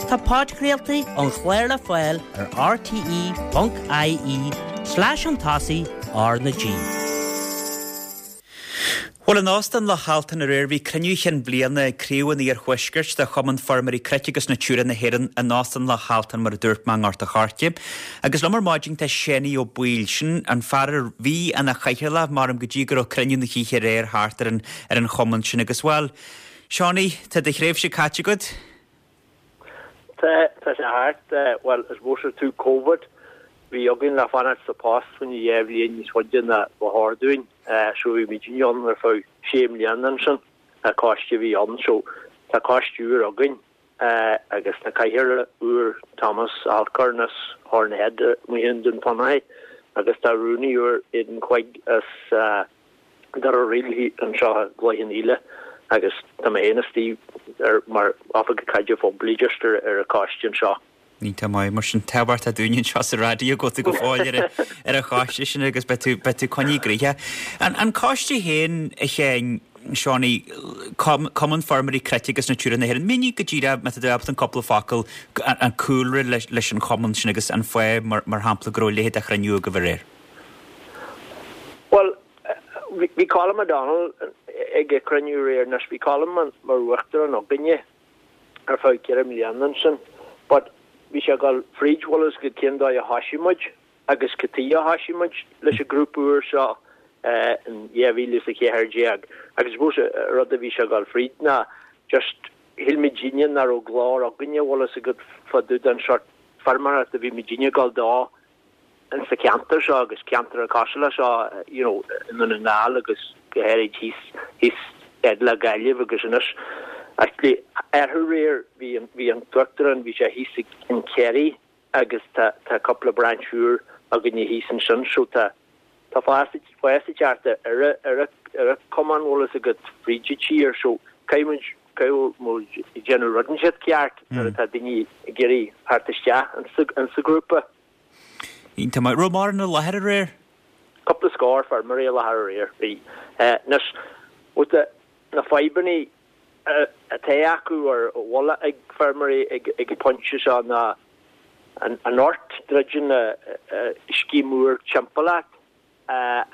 Tá podchraoltaí an chláir le fáil ar rte.ie slash an tosaigh R na G. Bhuel, in Óstán Loch Altan aréir bhí cruinniú chinn bliana ag Craobh an Iarthuaiscirt de Chumann Feirmeoirí Cnoic agus Natura na hÉireann in Óstán Loch Altan mar a dúirt mé i nGort a' Choirce. Agus liom ar maidin tá Séanie Ó Baoill, sin an fear a bhí ina chathaoirleach maram go dtí go raibh cruinniú na hoíche aréir thart ar an, ar an chumann sin agus bhuel, Seánie, tá do thréimhse caite agat? Tá tá sé thart, bhuel, I suppose tú Covid, bhí againn le fanacht sa post faoin dhá bhliain níos faide ná ba chóir dúinn, so bhí muid ann ar feadh sé mbliana ansin, an coiste a bhí ann, so tá coiste úr againn agus tá cathaoirleach úr Thomas Alcorn as Hornhead amuigh i nDún Fionnachaidh agus tá rúnaí úr Aidan Quigg as Doire Ríl anseo i gCloich Cheann Fhaola agus tá mé féin istigh ar mar oifigeach caidrimh phoiblí just ar ar an choiste anseo. Iontach maith, mar sin tábhachtach dúinn anseo sa raidió go bhfuil tú go fóill ar ar an choiste sin agus beidh tú beidh tú coinnithe gnoitheach. An an coiste féin a Sheáin, Seánie, Cumann Feirmeoirí Cnoic agus Natura na hÉireann, mínigh go díreach má tá tú ábalta an cúpla focal an cúlra leis leis an chumann sin agus an fáth mar mar shampla go raibh a leithéid de chruinniú agaibh aréir. Bhuel, bhí Colm O'Donnell ag an cruinniú aréir anois, bhí Colm mar uachtarán againne ar feadh ceithre mbliana ansin, but bhí sé ag dul fríd bhfuil a fhios agat cén dóigh a thoisigh muid agus cad chuige a thoisigh muid leis an grúpa úr seo in dhá mhíle is a ceathair déag agus I suppose an rud a bhí sé ag dul fríd ná just shíl muidinne nach raibh glór againne bhfuil a fhios agat fá dtaobh den sort feirmeoireacht a bhí muidinne ag dul dó in sa cheantar seo agus ceantar cosúil le seo you know i nDún na nGall agus go háirid thíos thíos fhad le Gaillimh agus anois actually arú aréir bhí an bhí an t-uachtarán bhí sé thíos in Kerry agus tá tá cúpla branch úr againne thíos ansin so tá tá fás fás ag teacht ar ar ar an cumann bhfuil a fhios agat fríd an tír so caithfidh muid caithfidh muid déanamh rud inteacht ceart nuair atá daoine ag iarraidh theacht isteach in sa grúpa. Iontach maith. Raibh mórán i láthair aréir? Cúpla scór feirmeoirí i láthair aréir. Bhí. Anois, with the, na fadhbanna atá acu or a bhfuil ag feirmeoirí ag ag an pointe seo ná an an druideann scéim úr timpeall ort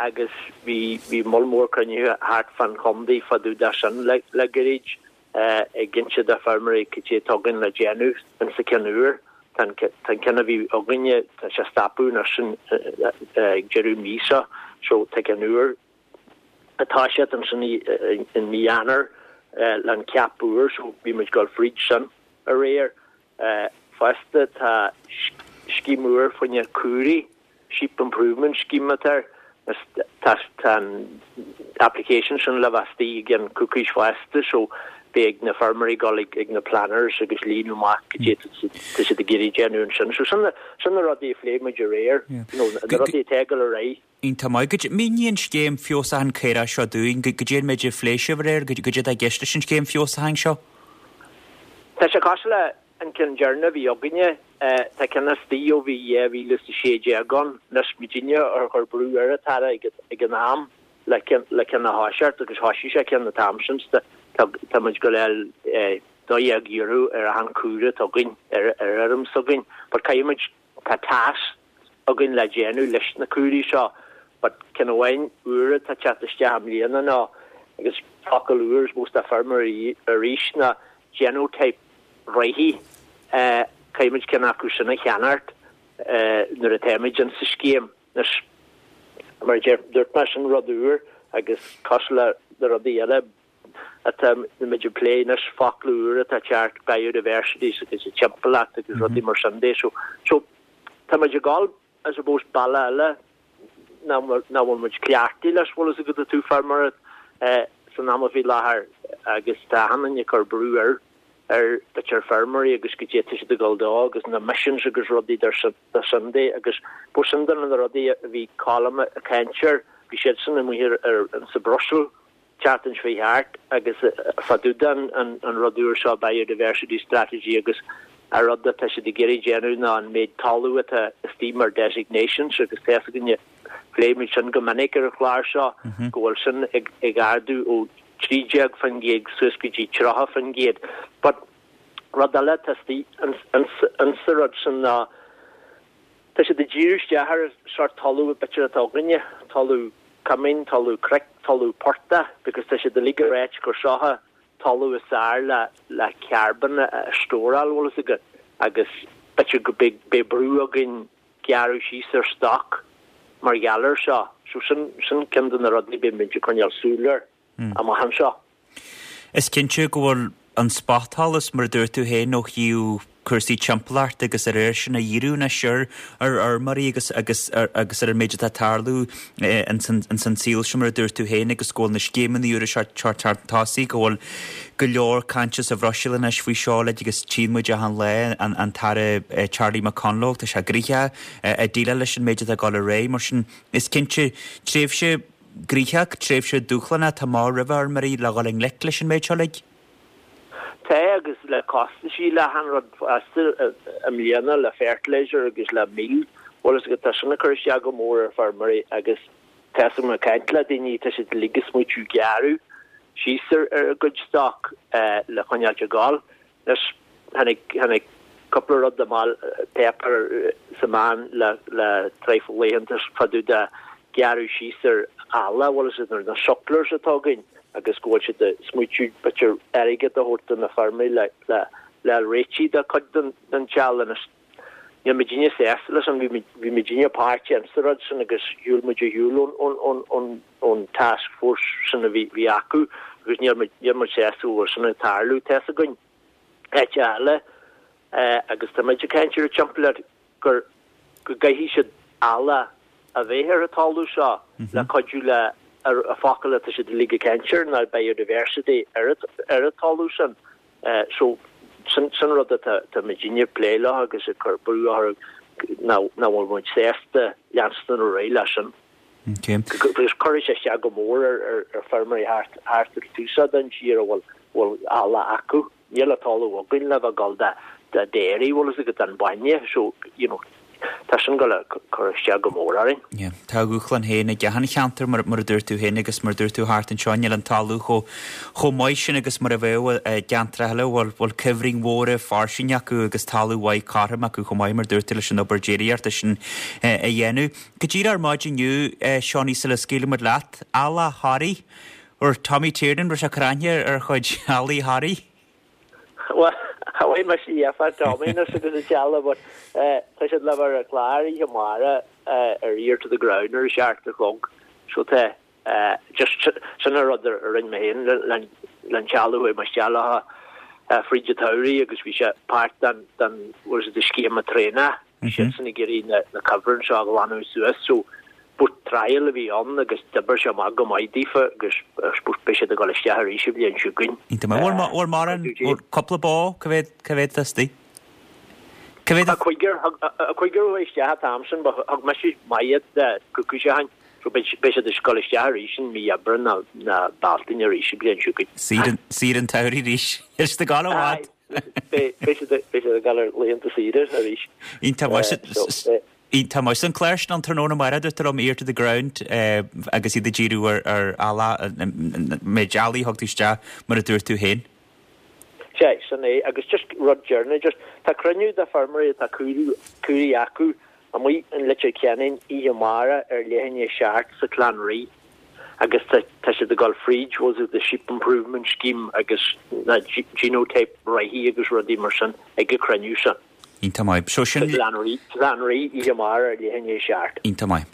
agus bhí bhí moll mór cruinnithe thart fán chontae fá dtaobh de sin le le gairid ag inse do feirmeoirí cad é atá againn le déanamh insa ceann úr. Tá an ceann a bhí againne, tá sé stopadh anois ag deireadh mí seo, so tá ceann úr atá siad ansin i mí Eanáir le an ceap úr, so bhí muid ag dul fríd sin aréir. Fosta tá scéim úr fá choinne caoirigh, Sheep Improvement Scheme atá air, Tá an application sin le bheith istigh i gceann coicís fosta so beidh na feirmeoirí ag dul ag na planners agus líonadh amach cad é tá siad ag iarraidh déanamh ansin. So sin sin na rudaí a phléigh muid aréir, you know, na rudaí atá ag dul ar aghaidh. Iontach maith. Go mínigh an scéim feabhsúcháin caorach seo dúinn, cad é an méid a phléigh sibh aréir, cad é atá i gceist leis an scéim feabhsúcháin seo? Tá sé cosúil le an ceann deireanach a bhí againne, tá ceann istigh ó bhí dhá mhíle is a sé déag ann. Anois muidinne a chuir brú ar an tAire ag an am le le ceann a thoiseacht agus thoisigh sé ceann an t-am sin. Tá tá muid go léir dó dhéag euro ar achan caora atá againn ar ar fheirm s'againn. But caithfidh muid tá tasc againn le déanamh leis na caoirigh seo. But ceann amháin úr atá teacht isteach i mbliana ná agus focal úr I suppose do feirmeoirí arís ná genotype reatha Caithfidh muid ceann acu sin a cheannacht nuair atáimid in sa scéim. Anois, mar a dúirt mé, sin rud úr agus cosúil le na rudaí eile atá muid ag plé anois, focla úr atá ag teacht, biodiversity agus an timpeallacht agus rudaí mar sin de. So, so tá muid ag dul, I suppose, bealach eile nach bhfuil muid cleachtaithe leis, bhfuil fhios agat, ó thaobh feirmeoireacht san am faoi láthair agus tá achan duine ag cur brú ar ar b'fhéidir feirmeoirí agus goidé tá siad ag dul dó agus na emissions agus rudaí dar sin de agus ba sin de na rudaí a bhí Colm ag caint air, bhí siadsan amuigh ar ar sa Brussels tseachtain seo thart agus fá dtaobh den an rud úr seo biodiversity strategy agus an rud atá siad ag iarraidh déanamh ná an méid talamh atá istigh mar designations agus tá fhios againne phléigh muid sin go minic ar an chlár seo go bhfuil sin ag ag ardú ó trí déag faoin gcéad suas go dtí tríocha faoin gcéad. But rud eile atá istigh insa rud sin ná tá siad ag díriú isteach ar an sórt talamh b'fhéidir atá againne, talamh cumainn, talamh cnoic, talamh portaigh because tá siad uilig ag ráit gur seo an talamh is fearr le le carbon a stóráil bhfuil fhios agat agus b'fhéidir go beidh beidh brú againn gearradh síos ar stoc mar gheall air seo. So sin sin ceann de na rudaí beidh muid ag coinneáil súil air amach anseo. Is cinnte go bhfuil an spotsholas, mar a dúirt tú féin, ó thaobh cúrsaí timpeallachta agus ar air sin a dhíriú anois ar ar fheirmeoirí agus agus agus ar an méid atá ag tarlú ins an ins an saol seo, mar a dúirt tú féin, agus go bhfuil na scéimeanna úra seo ag teacht chun tosaigh, go bhfuil go leor cainte sa Bhruiséil anois faoi seo uilig agus tchíonn muid achan lá an an tAire Charlie McConalogue, tá sé gnoitheach ag déileáil leis an méid atá ag dul ar aghaidh. Mar sin, is cinnte, tréimhse ghnoitheach, tréimhse dúshlánach atá amach roimh fheirmeoirí le dhul i ngleic leis an méid seo uilig. Tá agus le costaisí le achan rud fosta i mbliana le fertilizer agus le mil, bhfuil fhios agat, tá sin ag cur isteach go mór ar feirmeoirí agus tá fhios agam ag caint le daoine, tá siad uilig ag smaoitiú gearradh síos ar a gcuid stoc le coinneáilt ag gabháil. Anois tháinig tháinig cúpla rud amach páipéar sa meán le le traidhfil laethanta fá dtaobh de gearradh síos ar ealla, bhfuil fhios agat, na sucklers atá againn agus go bhfuil siad ag smaoitiú b'fhéidir airgead a thabhairt do na feirmeoirí le le le réitigh de chuid den den tseal anois. Níl muidinne sásta leis an bhí bhí muidinne páirteach insa rud sin agus shiúil muid ar shiúl ón ón ón ón ón task force sin a bhí bhí acu agus níl muid níl muid sásta go bhfuil sin ag tarlú. Tá fhios againn áit eile agus tá muid ag caint ar an timpeallacht gur go gcaithfidh siad eallach a bheith ar an talamh seo le cuidiú le an focal atá siad uilig ag caint air ná biodiversity ar ar an talamh sin. So sin sin rud atá tá muidinne ag plé leo agus ag cur brú orthu nach bhfuil muid sásta leanstan ar aghaidh leis sin. Agus cuirfidh sé isteach go mór ar ar feirmeoirí thart thart ar tús den tír a bhfuil bhfuil eallach acu. Níl an talamh againn le bheith ag dul de dairy, bhfuil fhios agat an bainne, so you know tá sin ag cur isteach go mór orainn. Yeah, tá a dhúshlán féin ag achan cheantar mar mar a dúirt tú féin agus mar a dúirt tú thart anseo níl an talamh chomh chomh maith sin agus mar a bheadh i gceantracha eile bhfuil bhfuil cuibhrinn mhóra fairsing acu agus talamh mhaith cothrom acu chomh maith mar a dúirt tú leis an obair déiríochta sin a dhéanamh. Go díreach ar maidin inniu, Seánie sula scaoilfidh muid leat, eallach Thoraí, or Tommy Tiernan, raibh sé ag cur aithne ar chuid eallaigh Thoraí? Bhuel, bhí mise líofa Tommy anois agus an teallach but tá siad le bheith ar an chlár oíche amárach ar Ear to the Ground ar a seacht a chlog so tá just sin an rud a rinne mé féin le an teallach chuaigh mé isteach leo fríd an tsamhraidh agus bhí sé páirt den den what is it the scéim traenála bhí siadsan ag iarraidh na na cuibhrinn seo a ghlanadh suas so but trial a bhí ann agus d'oibir sé amach go maith daofa agus I suppose beidh siad ag dul isteach arís an bhliain seo chugainn. Iontach maith. Bhfuil bhfuil mórán, bhfuil cúpla bó, cá mhéad, cá mhéad istigh? Cá mhéad? A cúigear, a cúigear a chuaigh isteach an t-am sin but thug mise maith de cúpla seachtain so beidh beidh siad ag dul isteach arís in mí Aibreán nó nó Bealtaine arís an bhliain seo chugainn. Saoire, saoire an tsamhraidh arís. Níl siad ag dul i bhfad. Beidh beidh siad beidh siad ag dul ar laethanta saoire arís. Iontach maith. Tá maith an clár sin an tráthnóna amárach a dúirt liom Ear to the Ground agus iad ag díriú ar ar eallach méid eallaigh a thug tú isteach mar a dúirt tú féin. Sea, sin é. Agus just rud deireanach, just tá cruinniú de feirmeoirí atá caoirigh acu amuigh in Leitir Ceanainn oíche amárach ar leath i ndiaidh a seacht sa Chlann Rí. agus tá tá siad ag dul fríd was it the sheep improvement scheme agus na genotype reatha agus rudaí mar sin ag an cruinniú seo. Iontach maith. So sin Gleann Rí oíche amárach ar leath i ndiaidh a seacht. Iontach maith.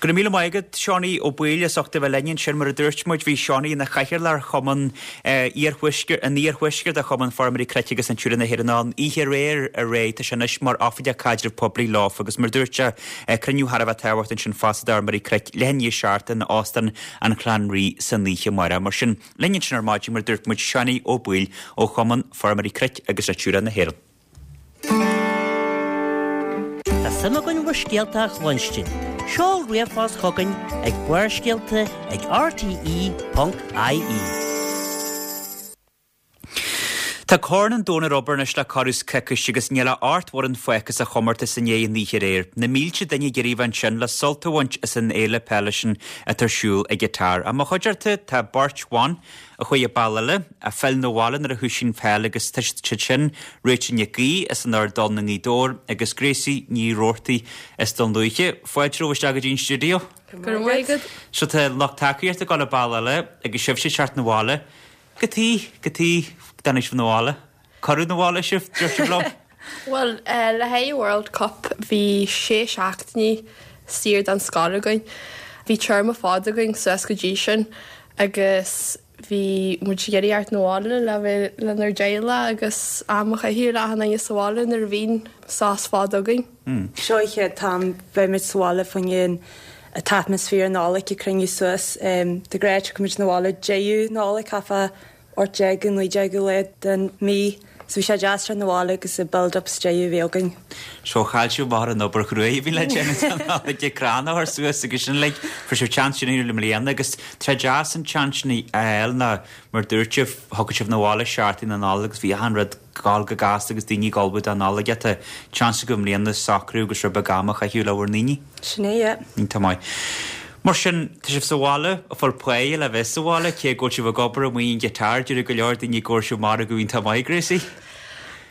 Go raibh míle maith agat, Seánie Ó Baoill, as ucht a bheith linn ansin. Mar a dúirt muid, bhí Seánie ina chathaoirleach ar Chumann Iarthuaisceart, an Iarthuaisceart de Chumann Feirmeoirí Cnoic agus Natura na hÉireann an oíche aréir aréir. Tá sé anois mar oifigeach caidreamh poiblí leofa agus mar a dúirt sé, cruinniú thar a bheith tábhachtach ansin fosta d'fheirmeoirí cnoic leath i ndiaidh a seacht in Óstán an Chlann Rí san oíche amárach. Mar sin, linn ansin ar maidin, mar a dúirt muid, Seánie Ó Baoill ó Chumann Feirmeoirí Cnoic agus Natura na hÉireann. Tá suim againn bhur scéalta a chluinstin. Seol ríomhphost chugainn ag Barrscéalta ag R T E ponc I E. Tá Corn an Domhain ar obair anois le corradh is coicís agus níl ach ocht bhfoireann fágtha sa chomórtas i ndiaidh an oíche aréir. Na mílte duine ag iarraidh a bheith ansin le sult a bhaint as an fhéile peile sin atá ar siúl i gCatar. Ach mo chuideachta tá beirt bhan a chuaigh an bealach eile, a phill na bhaile nuair a thoisigh an pheil agus tá siad sin Rachel Nic Aoidh as an Ard i nGaoth Dobhair agus Gracie Ní Roarty as Dún Lúiche. Fáilte romhaibh isteach go dtí an stiúideo. Go raibh maith agat. So tá lucht tacaíochta ag dul an bealach eile agus sibhse ag teacht na bhaile. Cad chuige, cad chuige go dtáinig sibh na bhaile. Cuireadh na bhaile sibh, dúirt sibh liom. Well, uh, le haghaidh World Cup bhí sé seachtainí saor den scoil againn. Bhí téarma fada againn suas go dtí sin agus bhí muid ag iarraidh teacht na bhaile le bheith lenár dteaghlach agus am a chaitheamh le achan duine sa bhaile nuair a bhíonn sos fada againn. Seo an chéad t-am beidh muid sa bhaile faoin an t-atmaisféar Nollag ag cruinniú suas. De ghnáth tiocfaimid na bhaile deireadh Nollag chafa ocht déag naoi déag lá den mí, so bhí sé deas na bhaile agus a build-up deireadh bhí againn. So chaill sibh amach ar an obair chruaidh a bhí le déanamh ag crann a chur suas agus sin like fuair sibh chance sin le bliana agus tá deas an chance sin a fháil ná mar dúirt sibh thug sibh na bhaile seachtain na Nollag agus bhí an rud gal go gasta agus daoine ag ullmhú don Nollaig tá chance go mbliana socrú agus rud beag ama a chaitheamh le bhur ndaoine. Sin é, yeah. Iontach maith. Mar sin tá sibh sa bhaile a fuil pé le bheith sa bhaile cé go sibh ag obair amuigh in gCatar dúirt go leor daoine go sibh mar go iontach maith Gracie.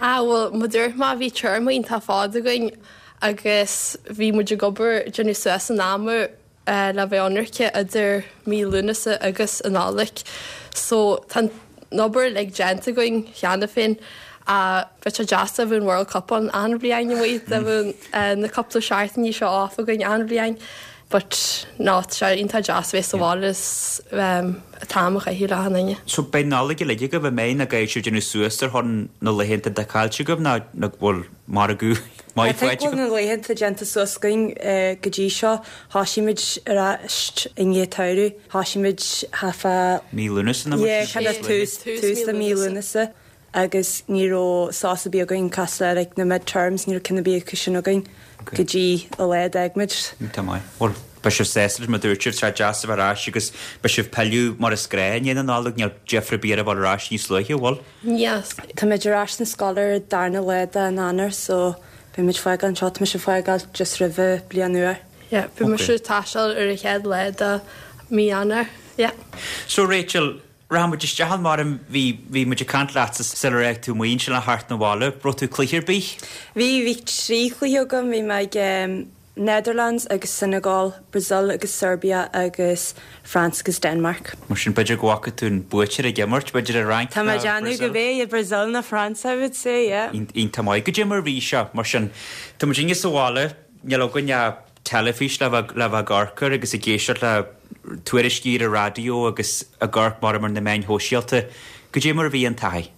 Ah well mar dúirt mé bhí téarma iontach fada againn agus bhí muid ag obair déanamh suas an ama uh, le bheith ionraice idir mí Lúnasa agus an Nollaig. So tá an obair le déanta againn cheana féin a bheith sé deas a bhíonn World Cup an an bhliain amuigh de bhíonn na cúpla seachtainí seo off againn an bhliain. But ná sé iontach deas bheith sa bhaile um, t-am a chaitheamh le achan duine. So beidh Nollaig uilig agaibh a mbeidh na gaid sibh déanamh suas ar chun na laethanta de caillte agaibh ná na bhfuil margadh maith I faighte think bhfuil na laethanta déanta suas againn eh, go dtí seo thosaigh muid ar ais i ndiaidh tsamhraidh, thosaigh muid hafa Mí Lúnasa na Yeah, kind of tús tús le mí Lúnasa agus ní raibh sos ar bith againn cosúil le like, na midterms ní raibh ceann ar bith acu sin againn go dtí a lá d'fhág muid. Tá maith. Well, beidh sibh sásta mar dúirt sibh sé deas a bheith ar ais agus beidh sibh pilleadh mar is gnách i ndiaidh na Nollag níl difear ar bith ar a bhfuil ar ais níos luaithe bhfuil. Yes. Tá muid ar ais na scoil ar darna lá den Eanáir so beidh muid fágáil anseo tá mise fágáil just roimh bliain nua. Yeah, bhí Okay. mise taisteal ar an chéad lá de mí Eanáir. Yeah. So Rachel, rachaidh muid isteach an mar bhí bhí muid ag caint leat sular fhág tú muin sin le theacht na bhaile, raibh tú cluiche ar bith? Bhí bhí trí chluiche agam bhí mé ag um, Netherlands agus Senegal, Brazil agus Serbia agus France agus Denmark. Mar sin b'fhéidir go bhfaca tú an buaiteoir ag imirt, b'fhéidir an Fhrainc Tá mé déanamh go b'é i Brazil na France I would say, yeah. Iontach maith goidé mar bhí seo mar sin Tá muid inge sa bhaile níl againn teilifís le bheith le bheith ag amharc air agus ag éisteacht le tuairiscí ar an raidió agus ag amharc mar mar na meáin shóisialta. Goidé mar a bhí an taithí.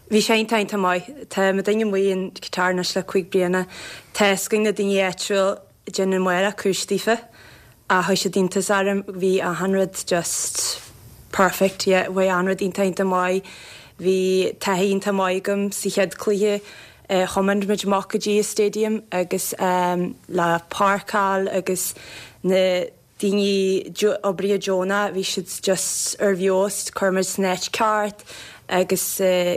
Bhí sé iontach maith Tá mo daine mu an Qatar anois le cúig bliana Tá scoin na daoine áitiúil déanamh maith cúis daofa a chuir siad iontas orm bhí achan rud just perfect yeah, bhí achan rud iontach maith bhí taithí iontach maith agam sa chéad cluiche uh, thiomáin muid amach go dtí stadium agus um, le páirceáil agus na daoine oibrithe deonacha bhí siad just ar bheost chuir muid san áit ceart agus uh,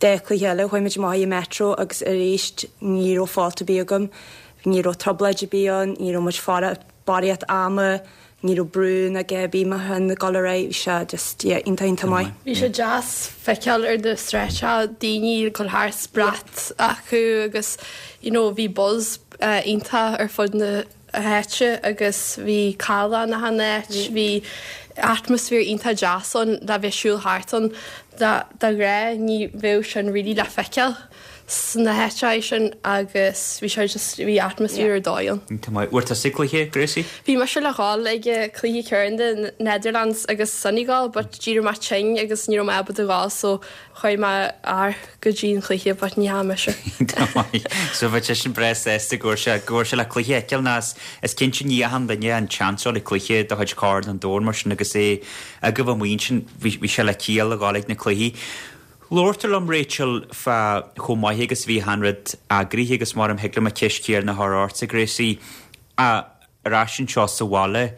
de chluiche eile chuaigh muid amach i metro agus arís ní raibh fáilte ar bith agam ní raibh trioblóid ar bith ann ní raibh muid fara barraíocht ama ní raibh brú na gébí ma an na golaré bhí sé just yeah, iontach iontach maith. Bhí sé deas feiceáil ar na sráideanna daoine chun thar brat acu agus you know, bhí buzz uh, iontach ar fud na háite agus bhí cala na han áit, bhí atmaisféar iontach deas ann le bheith siúl thart ann de ghnáth ní bheadh sin really le feiceáil sna háiteacha sin agus bhí sé just bhí atmaisféar ar dóigh ann. Iontach maith. Bhfuair tusa cluiche, Gracie? Bhí mise le dhul ag cluiche Corn Netherlands agus Senegal but d'éirigh mé tinn agus ní raibh mé ábalta dhul so chuaigh m'fhear go dtí an cluiche but ní hea mise. Iontach maith. So bheadh sé sin breá sásta go bhfuair sé go bhfuair sé le cluiche a fheiceáil ná is cinnte ní achan duine an chance le cluiche de chuid Chorn an Domhain mar sin agus é agaibh amuigh ansin bhí sé le ciall a dhul ag na cluichí. Labhair liom Rachel fá chomh maith agus bhí an rud eagraithe agus mar am thig liom an cheist chéanna a chur ortsa Gracie a ar ais anseo sa bhaile.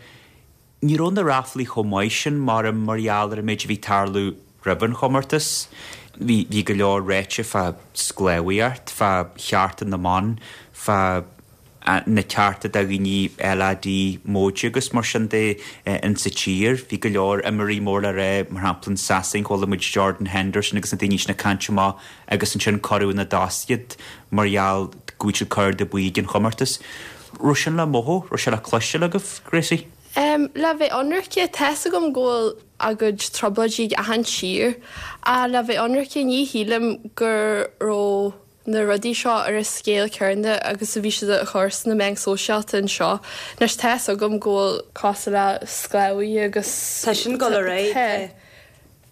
Ní raibh na ráflaí chomh maith sin mar mar gheall ar an méid a bhí tarlú roimh an chomórtas. Bhí bhí go leor ráite fá sclábhaíocht, fá chearta na mban, fá na cearta do dhaoine LAD móide agus mar sin de in sa tír. Bhí go leor imreoirí mór le rá mar shampla in Sasain chuala muid Jordan Henderson agus na daoine sin ag caint amach agus ansin cuireadh ina dtost iad mar gheall go bhfuil siad cur de buí an chomórtas. Raibh sin le mothú, raibh sé le cloisteáil agaibh, Gracie? Um, le bheith ionraice tá a fhios agam go bhfuil a gcuid trioblóidí achan tír a le bheith ionraice ní shílim go raibh na rudaí seo ar an scéal céanna agus a bhí siad a chur sna meáin sóisialta anseo. Anois tá a fhios agam go bhfuil cás le sclábhaí agus Tá sin go réidh.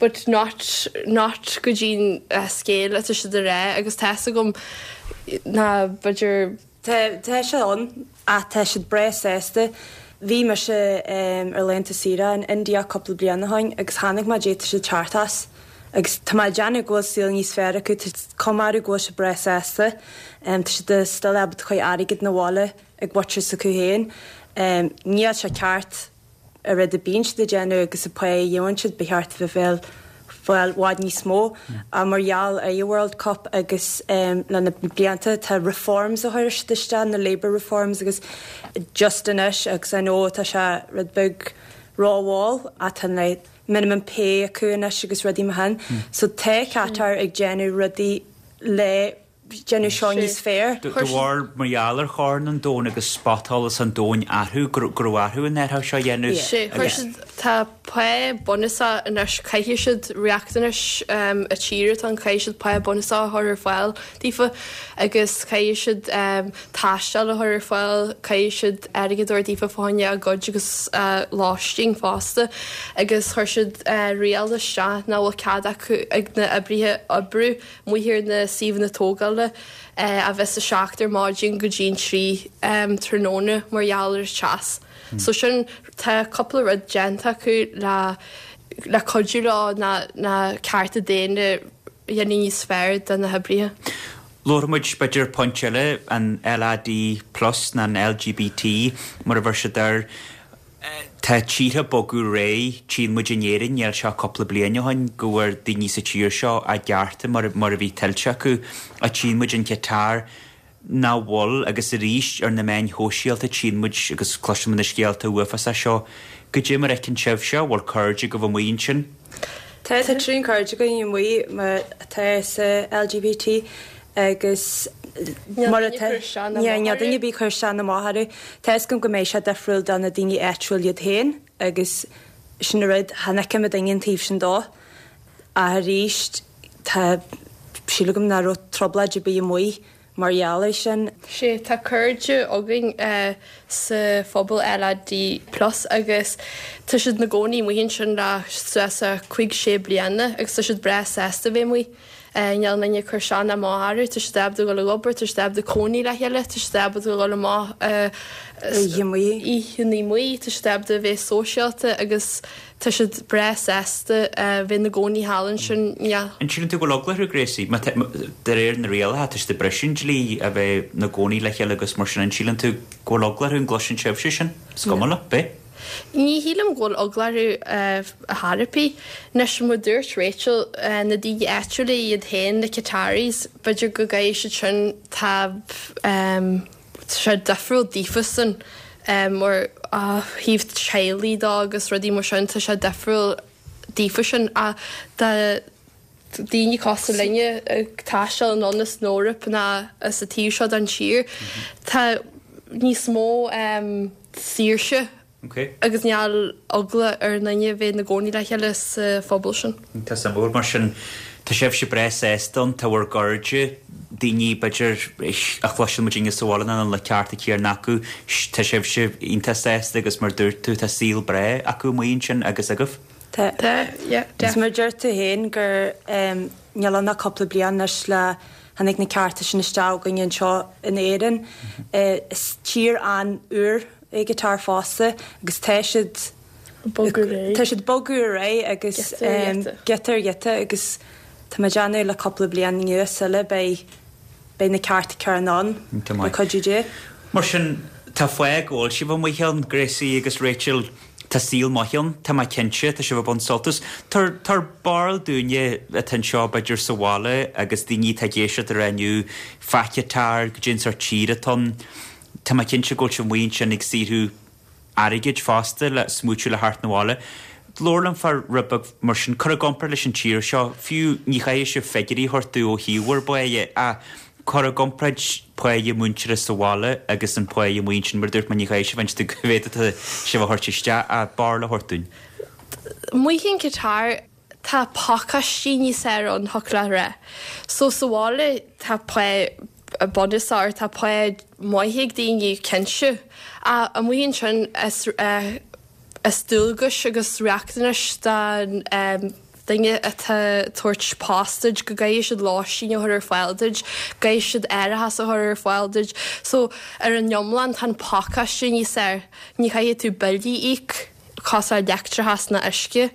But not not go dtí uh, scéal atá siad a rá agus tá a fhios agam na b'fhéidir Tá sé ann a tá siad breá sásta. Bhí mise um, ar laethanta saoire in India cúpla bliain ó shin agus tháinig má dé siad teartas. agus tá mé déanamh go bhfuil saol níos fearr acu cumar go bhfuil sé breá sásta tá siad still ábalta cur airgead na bhaile ag muintir s'acu féin. Níl sé ceart a rud a bíonn siad ag déanamh agus a pá a gheobhann siad ba cheart bheith bheil bhfuil bhfad níos mó a mar gheall ar an World Cup agus um, le na blianta tá reforms a chuir siad isteach na labour reforms agus just anois agus I know tá sé rud beag rómhall atá le minimum pay acu anois agus rudaí mar sin. So tá Qatar ag déanamh rudaí le déanamh seo níos fearr. De bharr mar gheall ar Chorn an Domhain agus spotsolas an domhain athrú go raibh athrú an air seo dhéanamh. Sé chuir siad tá pá bunúsach anois caithfidh siad riachtanais um, a tíre tá caithfidh siad pá bunúsach a chur ar fáil daofa agus caithfidh siad um, taisteal a chur ar fáil caithfidh siad airgead a thabhairt daofa fá choinne a gcuid agus uh, lóistín fosta agus chuir siad uh, riail isteach nach bhfuil cead acu ag na oibrithe oibriú amuigh ar na suíomhanna tógála uh, a bheith a seacht ar maidin go dtí trí um, tráthnóna mar gheall ar teas. So sin tá cúpla rud déanta acu le le cuidiú leo na na cearta daonna dhéanamh níos fearr do na hoibrithe. Labhair muid b'fhéidir pointe eile an LAD plus na an LGBT mar a bhur siad ar Tá tíortha bogadh réidh tchíonn muid in Éirinn níl seo cúpla bliain ó shin go bhfuair daoine sa tír seo a gcearta mar mar a bhí tuillte acu a tchíonn muid in Qatar nach bhfuil agus arís ar na meáin shóisialta tchíonn muid agus cloisim na scéalta uafásacha seo go dé mar fheiceann sibh seo bhfuil cairde agaibh amuigh ansin. Tá tá trí cairde againn amuigh mar atá sa LGBT agus mar atá ní duine bí chuir se na máthair Tá gom go méid sé difriúil do na daoine áitiúil iad féin agus sin rud tháinig me daon taobh sin dó a arís tá sílim go nach raibh trioblóid ar bith amuigh mar gheall air sin. Sé tá cairde againn uh, sa phobal LAD plus agus tá siad na gcónaí amuigh ansin le suas a cúig sé bliana agus tá siad breá sásta bheith amuigh. Níl aon chur isteach ná amach orthu, tá siad ábalta dul ag obair, tá siad ábalta cónaí le chéile, tá siad ábalta dul amach oícheanta amuigh, tá siad ábalta bheith sóisialta agus tá siad breá sásta bheith na gcónaí thall ansin. An síleann tú go bhfuil eagla orthu Gracie de réir na rialacha tá siad ag briseadh an dlí a bheith na gcónaí le chéile agus mar sin an síleann tú go bhfuil eagla orthu an gcloiseann sibhse sin? Is cuma le bé? Ní shílim go bhfuil eagla orthu a therapy. Anois mar dúirt Rachel na daoine áitiúla iad féin na Qataris, b'fhéidir go gcaithfidh siad sin tá sé difriúil daofasan mar a thaobh teaghlaigh dó agus rudaí mar sin tá sé difriúil daofa sin a da daoine cosúil linne ag taisteal anonn as an Eoraip ná as an taobh seo den tír. Tá níos mó saoirse agus níl eagla ar aon duine bheith ina gcónaí le chéile sa phobal sin. Tá suimiúil mar sin tá sibhse breá sásta ann, tá bhur gcairde, daoine b'fhéidir a chloiseann muid inne sa bhaile nach bhfuil na cearta céanna acu, tá sibhse iontach sásta agus mar dúirt tú tá saol breá acu amuigh ansin agus agaibh. Tá. Tá, yeah, Is mar deir tú féin gur níl ann ach cúpla bliain anois le tháinig na cearta sin isteach againn anseo in Éirinn. Is tír an-úr é Qatar fosta agus tá siad tá siad bogadh ar aghaidh agus giota ar ghiota agus tá mé ag déanamh le cúpla bliain anuas eile beidh beidh na cearta céanna ann le cuidiú Dé. Mar sin tá fáth go bhfuil sibh amuigh ann, Gracie agus Rachel, tá saol maith ann, tá mé cinnte, tá sibh ag baint sult as. Tabhair barúil dúinne atá anseo b'fhéidir sa bhaile agus daoine atá ag éisteacht ar inniu, fá Qatar, goidé an sórt tír atá ann. Tá mé cinnte go bhfuil sibh amuigh ansin ag saothrú airgid fosta le smúitiú le theacht 'na bhaile. Labhair liom fá rud beag mar sin, cur i gcomparáid leis an tír seo, fiú ní chaithfidh sibh figiúirí a thabhairt domh ó thaobh bhur bpáighe ach cur i gcomparáid páighe múinteora sa bhaile agus an páighe amuigh ansin, mar a dúirt mé ní chaithfidh sibh inse domh cá mhéad atá sibh a thabhairt isteach ach barúil a thabhairt dúinn. Amuigh in Qatar tá pacáistí níos fearr ann, thiocfadh leat a rá. So sa bhaile tá pá bunúsach tá pá maith ag daoine cinnte. Ach amuigh ansin is is dualgas agus riachtanais don duine atá tabhairt post duit go gcaithfidh siad lóistín a chur ar fáil duit, gcaithfidh siad árachas a chur ar fáil duit. So ar an iomlán tá an pacáiste níos fearr. Ní chaithfidh tú billí a íoc cosúil leictreachas ná uisce.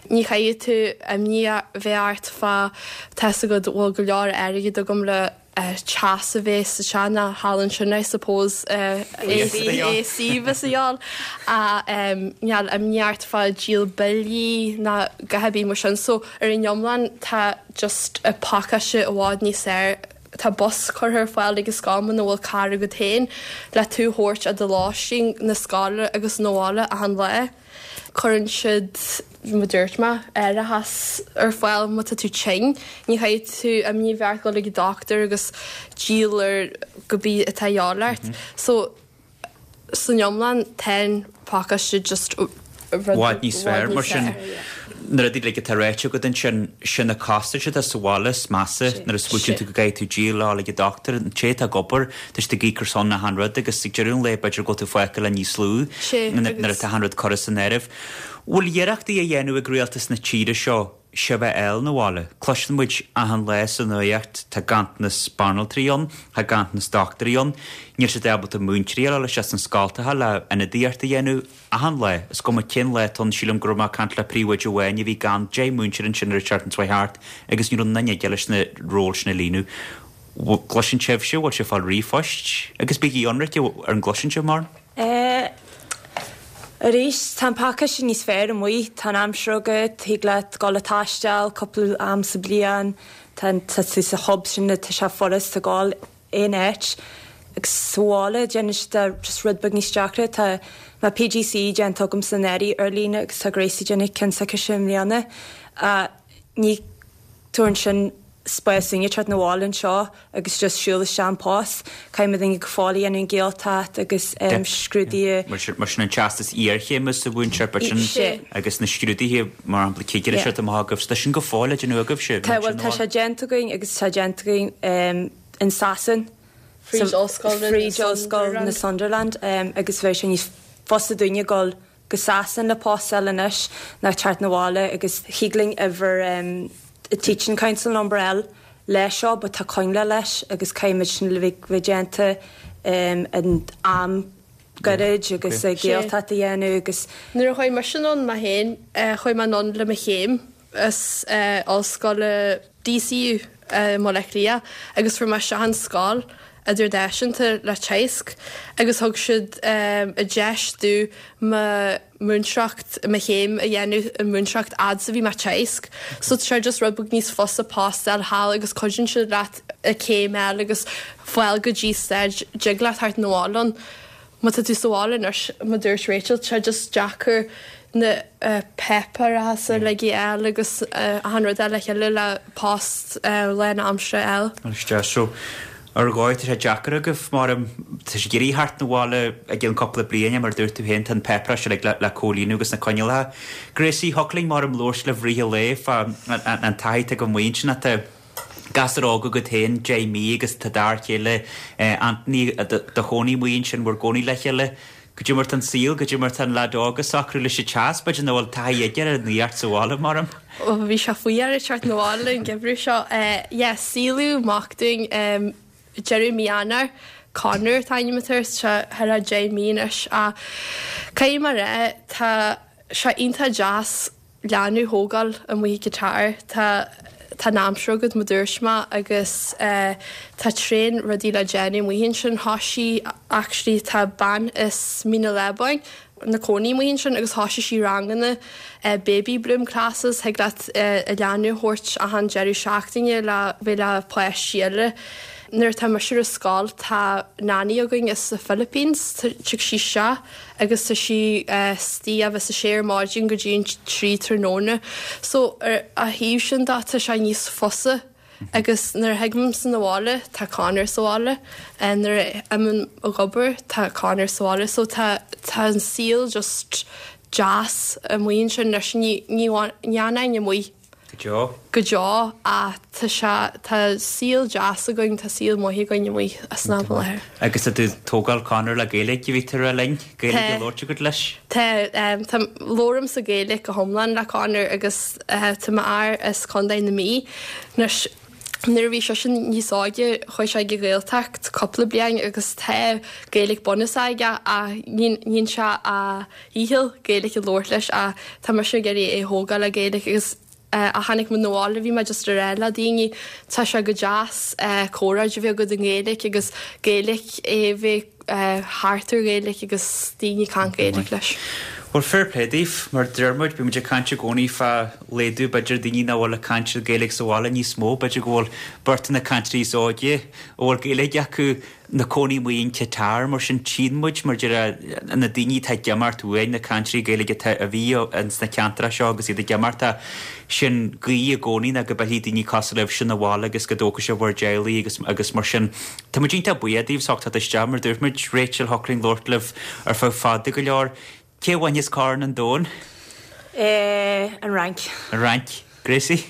Ní chaithfidh tú imní a bheith ort fá tá fhios agat bhfuil go leor airgead agam le teas a bheith sa teach ná thall ansin I suppose A C bheith sa gheall a níl imní ort fá díol billí ná gach ar bith mar sin so ar an iomlán tá just a pacáiste i bhfad níos fearr. Tá bus curtha ar fáil ag an scoil muna bhfuil carr agat féin le tú a thabhairt ó do lóistín na scoile agus na bhaile achan lá. Cuireann siad mar dúirt mé árachas ar fáil má tá tú tinn. Ní chaithfidh tú imní a bheith ort dul ag an dochtúir agus díol ar cibé atá de dhíobháil ort. So san iomlán tá an pacáiste just bhfad níos fearr mar sin na rudaí like atá ráite agat ansin sin na costais atá sa bhaile is measa nuair a smaoitíonn tú go gcaithfidh tú díol le ag an dochtúir an té atá ag obair tá siad ag íoc ar son achan rud agus ag deireadh an lae b'fhéidir go bhfuil tú fágtha le níos lú nuair atá achan rud curtha san áireamh. Bhfuil iarrachtaí á dhéanamh ag rialtas na tíre seo sibh a fháil 'na bhaile. Cloiseann muid achan lá sa nuacht tá ganntanas banaltraí ann, tá ganntanas dochtúirí ann, níl siad ábalta múinteoirí a fháil isteach sna scoltacha le ionadaíocht a dhéanamh achan lá. Is cuma cén lá atá ann, sílim go raibh mé ag caint le príomhoide amháin a bhí gan deich múinteoir ansin ar an tseachtain seo thart agus ní raibh aon duine aige leis na róil sin a líonadh. Gcloiseann sibhse, bhfuil sibh ag fáil ríomhphoist agus bígí ionraic ar an gcloiseann sibh mar? Eh, Arís tá an pacáiste níos fearr amuigh, tá an aimsir agat, thig leat dul ag taisteal cúpla am sa bliain, tá tá tú sa hub sin tá sé furasta dul aon áit. Agus sa bhaile déanann siad just rud beag níos deacra tá má P G C E déanta agam san anuraidh ar líne agus tá Gracie déanamh ceann s'aici i mbliana. Uh, ní tuann sin spás dúinne teacht 'na bhaile anseo agus just siúl isteach an post. Caithfidh muid go fóill a dhéanamh an Ghaeltacht agus um, scrúduithe Mar sin mar sin an teastas iarchéime sa mhúinteoireacht sin Sé. agus na scrúduithe mar shampla cigire Yeah. se amach agaibh, tá sin go fóill le déanamh agaibhse. Tá bhfuil tá sé déanta againn agus tá déanta againn um, in Sasain. Fríd Ollscoil na Fríd Ollscoil na Sunderland um, agus bheith sé níos fusa dúinne dul go Sasain le post anois ná teacht 'na bhaile agus thig linn uimhir um, a Teaching Council number L leis seo, but tá coinníoll leis agus caithfimid sin le bheith bheith déanta um, an am gairid agus okay. Gaeltacht a dhéanamh agus Nuair a chuaigh mise anonn mé féin chuaigh mé anonn le mo chéim as ollscoil D C U Baile Átha Cliath agus fuair mé isteach an scoil idirnáisiúnta le Teagasc agus thug siad um, a deis domh mo múinteoireacht mo chéim a dhéanamh an múinteoireacht fhad a bhí mé Teagasc. So sé just rud beag níos fusa post a fháil thall agus cuidíonn siad leat a céim eile agus fáil go dtí stage dtig leat theacht 'na bhaile ann. Má tá tú sa bhaile anois mar dúirt Rachel sé just deacair na uh, páipéir a le eile agus uh, an rud eile cheile le post uh, lán aimsire eile. Isteach so Ar dhóigh tá sé deacair agaibh mar tá sé ag iarraidh theacht 'na bhaile i gcionn cúpla bliain mar dúirt tú féin tá an páipéar seo uilig le comhlíonadh agus na coinníollacha. Gracie, thiocfadh linn mar labhairt libh i rith an lae fá an taithí atá agaibh amuigh ansin tá gasúr óg agat féin deich mí agus tá d'fhear céile Anthony do chónaí amuigh ansin bhur gcónaí le chéile. Goidé mar tá an saol, goidé mar tá an leaid óg ag socrú leis an teas, b'fhéidir nach bhfuil taithí aige ar an nuacht sa bhaile mar. Bhí sé faoi dheireadh teacht 'na bhaile an geimhreadh seo. Yeah, saolaíodh mac dúinn deireadh mí Eanáir, Conor an t-ainm atá air, tá thar a deich mí anois ach caithfidh mé a rá tá sé iontach deas leanbh a thógáil amuigh i Qatar. Tá tá an aimsir agat mar dúirt mé agus tá tréan rudaí le déanamh amuigh ansin. Thoisigh actually tá bean as Mín an Lábáin na cónaí amuigh ansin agus thoisigh sí ranganna baby bloom classes thig leat a leanbh a thabhairt achan deireadh seachtaine le bheith le páistí eile. Nuair atá mise ar scoil tá nanny againn as the Philippines tig sí isteach agus tá sí istigh a bheith a sé ar maidin go dtí an trí tráthnóna. So ar a thaobh sin de tá sé níos fusa agus nuair a thigimse 'na bhaile tá Conor sa bhaile nuair a imím ag obair tá Conor sa bhaile so tá tá an saol just deas amuigh ansin leis ní ní ní fhanfainn amuigh. Go deo. Go deo ach tá sé tá saol deas againn tá saol maith againn amuigh as an láthair. Agus tá tú tógáil Conor le Gaeilge bhí tú a rá linn Gaeilge á labhairt agat leis? Tá tá labhraím sa Ghaeilge go hiomlán le Conor agus tá m'fhear as Contae na Mí. Anois nuair a bhí seisean níos óige chuaigh sé ag an Ghaeltacht cúpla bliain agus tá Gaeilge bunúsach aige ach níonn sé a dhícheall Gaeilge a labhairt leis ach tá mise ag iarraidh é a thógáil le Gaeilge agus a tháinig mé 'na bhaile bhí mé just a rá le daoine tá sé go deas comhrá a bheith agat i nGaeilge agus Gaeilge é bheith thart ar Ghaeilge agus daoine caint Gaeilge leis. Well fair play daoibh mar deir muid bíonn muid ag caint i gcónaí fá laghdú b'fhéidir daoine nach bhfuil ag caint Gaeilge sa bhaile níos mó b'fhéidir go bhfuil beirt de na cainteoirí is óige a bhfuil Gaeilge acu na cónaí amuigh in Qatar mar sin tchíonn muid mar deir na daoine atá ag imeacht uainn na cainteoirí Gaeilge atá a bhí ins na ceantracha seo agus iad ag imeacht sin guí i gcónaí ná go bhfillfidh daoine cosúil libh sin abhaile agus go dtógfaidh sibh bhur dteaghlaigh agus agus mar sin Tá muid iontach buíoch daoibh as ucht teacht isteach mar dúirt muid Rachel thiocfadh linn labhairt libh ar feadh fada go leor. Cé a bhainfeas Corn an Domhain? Eh, an Fhrainc. An Fhrainc. Gracie?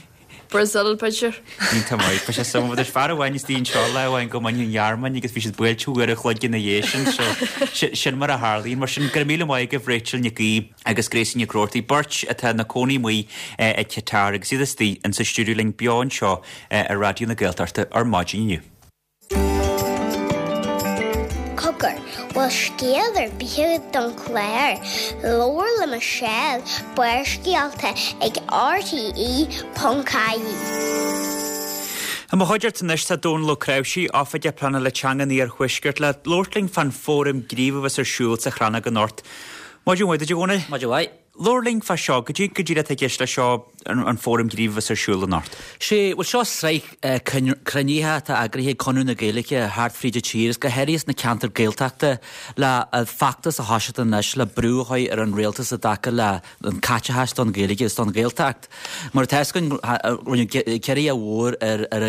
Brazil b'fhéidir. Iontach maith. Bhí sé suimiúil there's fear amháin istigh anseo lá amháin go mbainfeadh an Ghearmáin agus bhí siad buailte uair a chloig ina dhiaidh sin so sin mar a tharlaíonn. Mar sin go raibh míle maith agaibh Rachel Nic Aoidh agus Gracie Nic Roarty, beirt atá ina cónaí amuigh i Qatar agus iad istigh insa stiúideo linn beo anseo ar Raidió na Gaeltachta ar maidin inniu. Cogar, bhfuil scéal ar bith agat don chlár? Labhair le Michelle, Barrscéalta ag RTE ponc ie. I mo chuideachta anois tá Dónal Ó Cnáimhsí, Oifigeach Pleanála Teanga an Iarthuaiscirt le labhairt linn fán fóram gníomh a bheas ar siúl sa Chrannóg anocht. Maidin mhaith duit a Dhónaill. Maidin mhaith. Labhair linn fá seo, goidé go díreach atá i gceist le seo an fóram gníomh a bheas ar siúl anocht. Sé, bhuel seo sraith cruinnithe atá eagraithe ag Conradh na Gaeilge thart fríd an tír, is go háirithe sna ceantair Gaeltachta le feachtas a thoiseacht anois le brú a chur ar an rialtas i dtaca le an caiteachas don Ghaeilge is don Ghaeltacht. Mar atá fhios againn, rinneadh ciorruithe mhór ar ar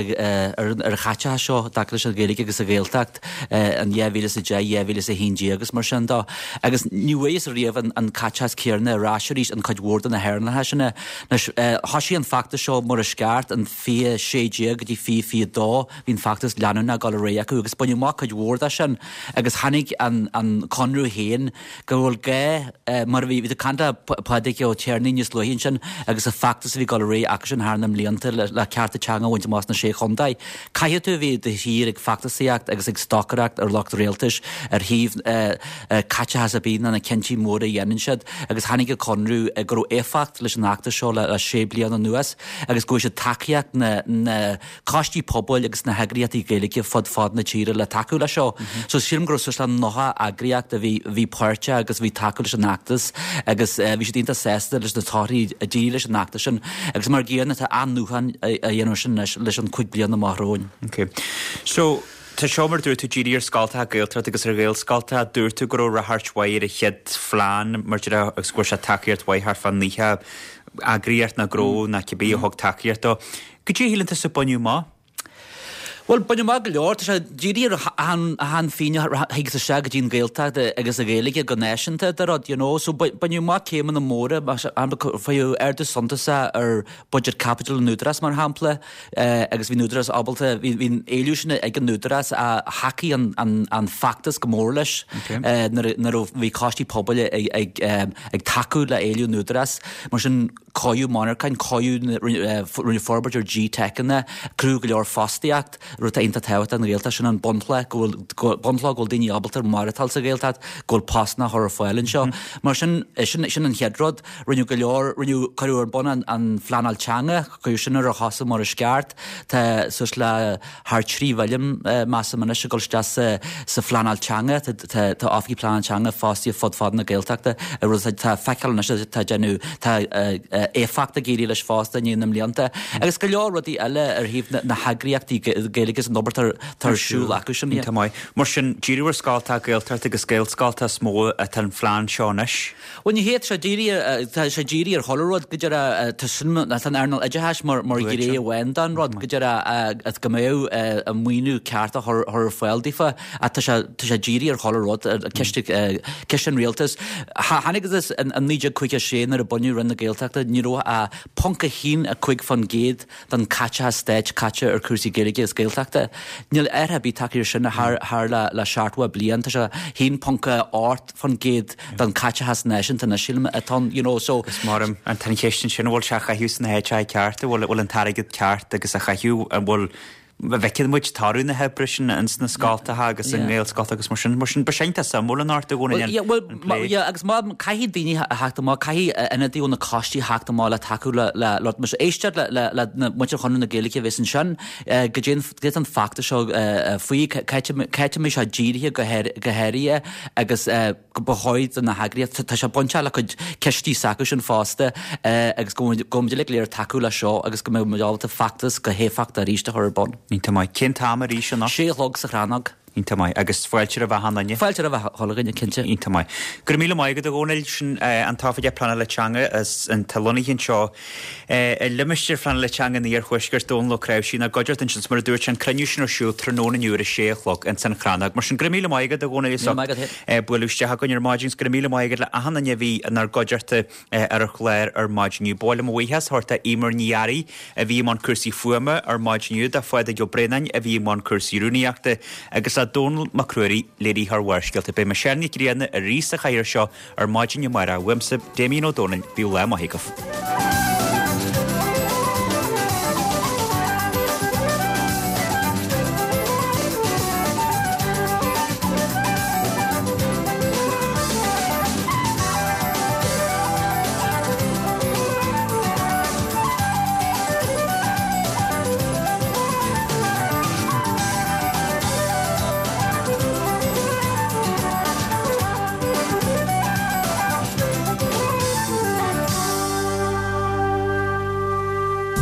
ar an chaiteachas seo i dtaca leis an Ghaeilge agus an Ghaeltacht in dhá mhíle is a deich, dhá mhíle is a haon déag agus mar sin de. Agus ní bhfuarthas riamh an caiteachas céanna ar ais arís in cuid mhór de na hearnálacha sin. Anois, thoisigh an feachtas seo mar is ceart in fiche sé déag go dtí fiche fiche dó, bhí an feachtas leanúnach ag dul ar aghaidh acu agus baineadh amach cuid mhór de sin agus tháinig an an Conradh féin go bhfuil gá, mar a bhí, bhí tú ag caint le Pádraig Ó Tiarnaigh níos luaithe ansin agus an feachtas a bhí ag dul ar aghaidh acusan thar na mblianta le cearta teanga a bhaint amach sna Sé Chontae. Caithfidh tú a bheith de shíor ag feachtasaíocht agus ag stocaireacht ar lucht rialtais ar thaobh caiteachas ar bith ná na cinntí móra a dhéanann siad agus tháinig an Conradh go raibh éifeacht leis an fheachtas seo le sé bliana anuas agus go bhfuair siad tacaíocht na na coistí pobail agus na heagraíochtaí Gaeilge fud fad na tíre le tacú leis seo. So sílim go raibh suas le nócha eagraíocht a bhí bhí páirteach agus a bhí tacú leis an fheachtas agus bhí siad iontach sásta leis na torthaí a d'éirigh leis an fheachtas sin agus mar gcéanna tá athnuachan á dhéanamh sin anois leis an cúig bliana amach romhainn. Ok. So, tá seo mar dúirt tú dírithe ar scoltacha Gaeltachta agus ar Ghaelscoltacha. Dúirt tú go raibh ráchairt mhaith ar an chéad phlean mar deir agus go bhfuair sé tacaíocht mhaith thart fá naocha eagraíocht nó gnó nó cibé a thug tacaíocht dó. Goidé a shíleann tusa a baineadh amach? Bhuel, baineadh amach go leor. Tá sé dírithe ar achan achan phingin a thigeas isteach go dtí an Ghaeltacht agus an Ghaeilge go náisiúnta de rud, you know. So baineadh amach céimeanna móra, faigheadh ardú suntasach ar buiséad caipitil an Údarás mar shampla agus bhí an Údarás ábalta, bhí an éileamh sin ag an Údarás a thacaigh an an an feachtas go mór leis nuair a bhí coistí pobail ag ag tacú le éileamh an Údarás. Mar sin cóiríodh monarchain, cóiríodh, rinneadh forbairt ar G-TECanna, cruthaíodh go leor fostaíocht, rud atá iontach tábhachtach don Ghaeltacht, sin an bunchloch, go bhfuil, bunchloch go bhfuil daoine ábalta maireachtáil sa Ghaeltacht, go bhfuil postanna á chur ar fáil anseo. Mar sin, sin, sin an chéad rud. Rinneadh go leor, rinneadh, cuireadh ar bun an, an phleanáil teanga, cuireadh sin ar a chosa mar is ceart. Tá suas le thar trí mhilliún, measaim anois, ag dul isteach sa, sa phleanáil teanga. Tá, tá, tá oifigigh pleanáil teanga fostaithe fud fad na Gaeltachta, rud atá feiceáil anois atá déanamh, tá éifeacht ag éirí leis fosta i ndiaidh na mblianta. Agus go leor rudaí eile ar thaobh na heagraíochtaí Gaeilge agus an obair atá ar siúl acu sin. Iontach maith. Mar sin, díriú ar scoltacha Gaeltachta agus Gaelscoltacha is mó atá an phlean seo anois? Bhuel, ní hé, tá sé dírithe, tá sé dírithe ar chuile rud, go díreach, tá sin, tá an earnáil oideachais mar mar ghné amháin den rud, go díreach, go mbeadh an maoiniú ceart á chur ar fáil daofa, ach tá sé, tá sé dírithe ar chuile rud, ciste, ciste an rialtais. Tháinig agus in naoi déag caoga a sé nuair a bunaíodh Roinn na Gaeltachta ní raibh ach ponc a haon a cúig faoin gcéad den caiteachas stáit caite ar chúrsaí Gaeilge agus Gaeltachta. Níl athrú ar bith tagtha air sin thar thar le le seachtó bliain. Tá sé haon ponc a ocht faoin gcéad den caiteachas náisiúnta anois sílim atá ann, you know, so. Agus mar an tá an cheist ansin an bhfuil sé á chaitheamh sna háiteacha cearta, an bhfuil an bhfuil an t-airgead ceart agus á chaitheamh, an bhfuil bhfeiceann muid toradh na hoibre sin ins na scoltacha agus i nGaelscoltacha agus mar sin. Mar sin, ba sin tá suimiúil an ort i gcónaí an plé. Yeah, agus má caithfidh daoine a theacht amach, caithfidh ionadaithe ó na coistí theacht amach le tacú le le le muis éisteacht le le le na muintir Chonradh na Gaeilge a bheas ansin go dtéann go dtéann an feachtas seo faoi cá háit a mbeidh sé dírithe go go háirithe agus go ba chóir do na heagraíochtaí, tá sé bainteach le cuid cistí s'acu sin fosta agus go bhfuil muid uilig go léir ag tacú leis seo agus go mbeidh muid ábalta feachtas go héifeachtach arís a chur ar bun. Iontach maith. Cén t-am arís anocht? Sé a chlog sa Chrannóg. Iontach maith. Agus fáilte roimh achan duine? Fáilte roimh chuile dhuine, cinnte. Iontach maith. Go raibh míle maith agat a Dhónaill. Sin an tOifigeach Pleanála Teanga atá lonnaithe anseo i limistéar phleanála teanga an Iarthuaiscirt, Dónal Ó Cnáimhsí, inár gcuideachta ansin. Mar a dúirt sé, an cruinniú sin ar siúl tráthnóna inniu ar a sé a chlog ins an Chrannóg. Mar sin, go raibh míle maith agat a Dhónaill as ucht bualadh isteach againn ar maidin agus go raibh míle maith agat le achan duine a bhí inár gcuideachta ar an chlár ar maidin inniu. Ba mhaith liom mo bhuíochas a thabhairt do Eimear Ní Fhearraigh a bhí i mbun cúrsaí fuaime ar maidin inniu, do Phádraig Ó Braonáin a bhí i mbun cúrsaí rúnaíochta agus le Dónall Mac Ruairí, léiritheoir Bharrscéalta. Beidh Michelle Nic Grianna arís sa chathaoir seo ar maidin amárach. Uaimse, Damien Ó Dónaill, bíodh lá maith agaibh.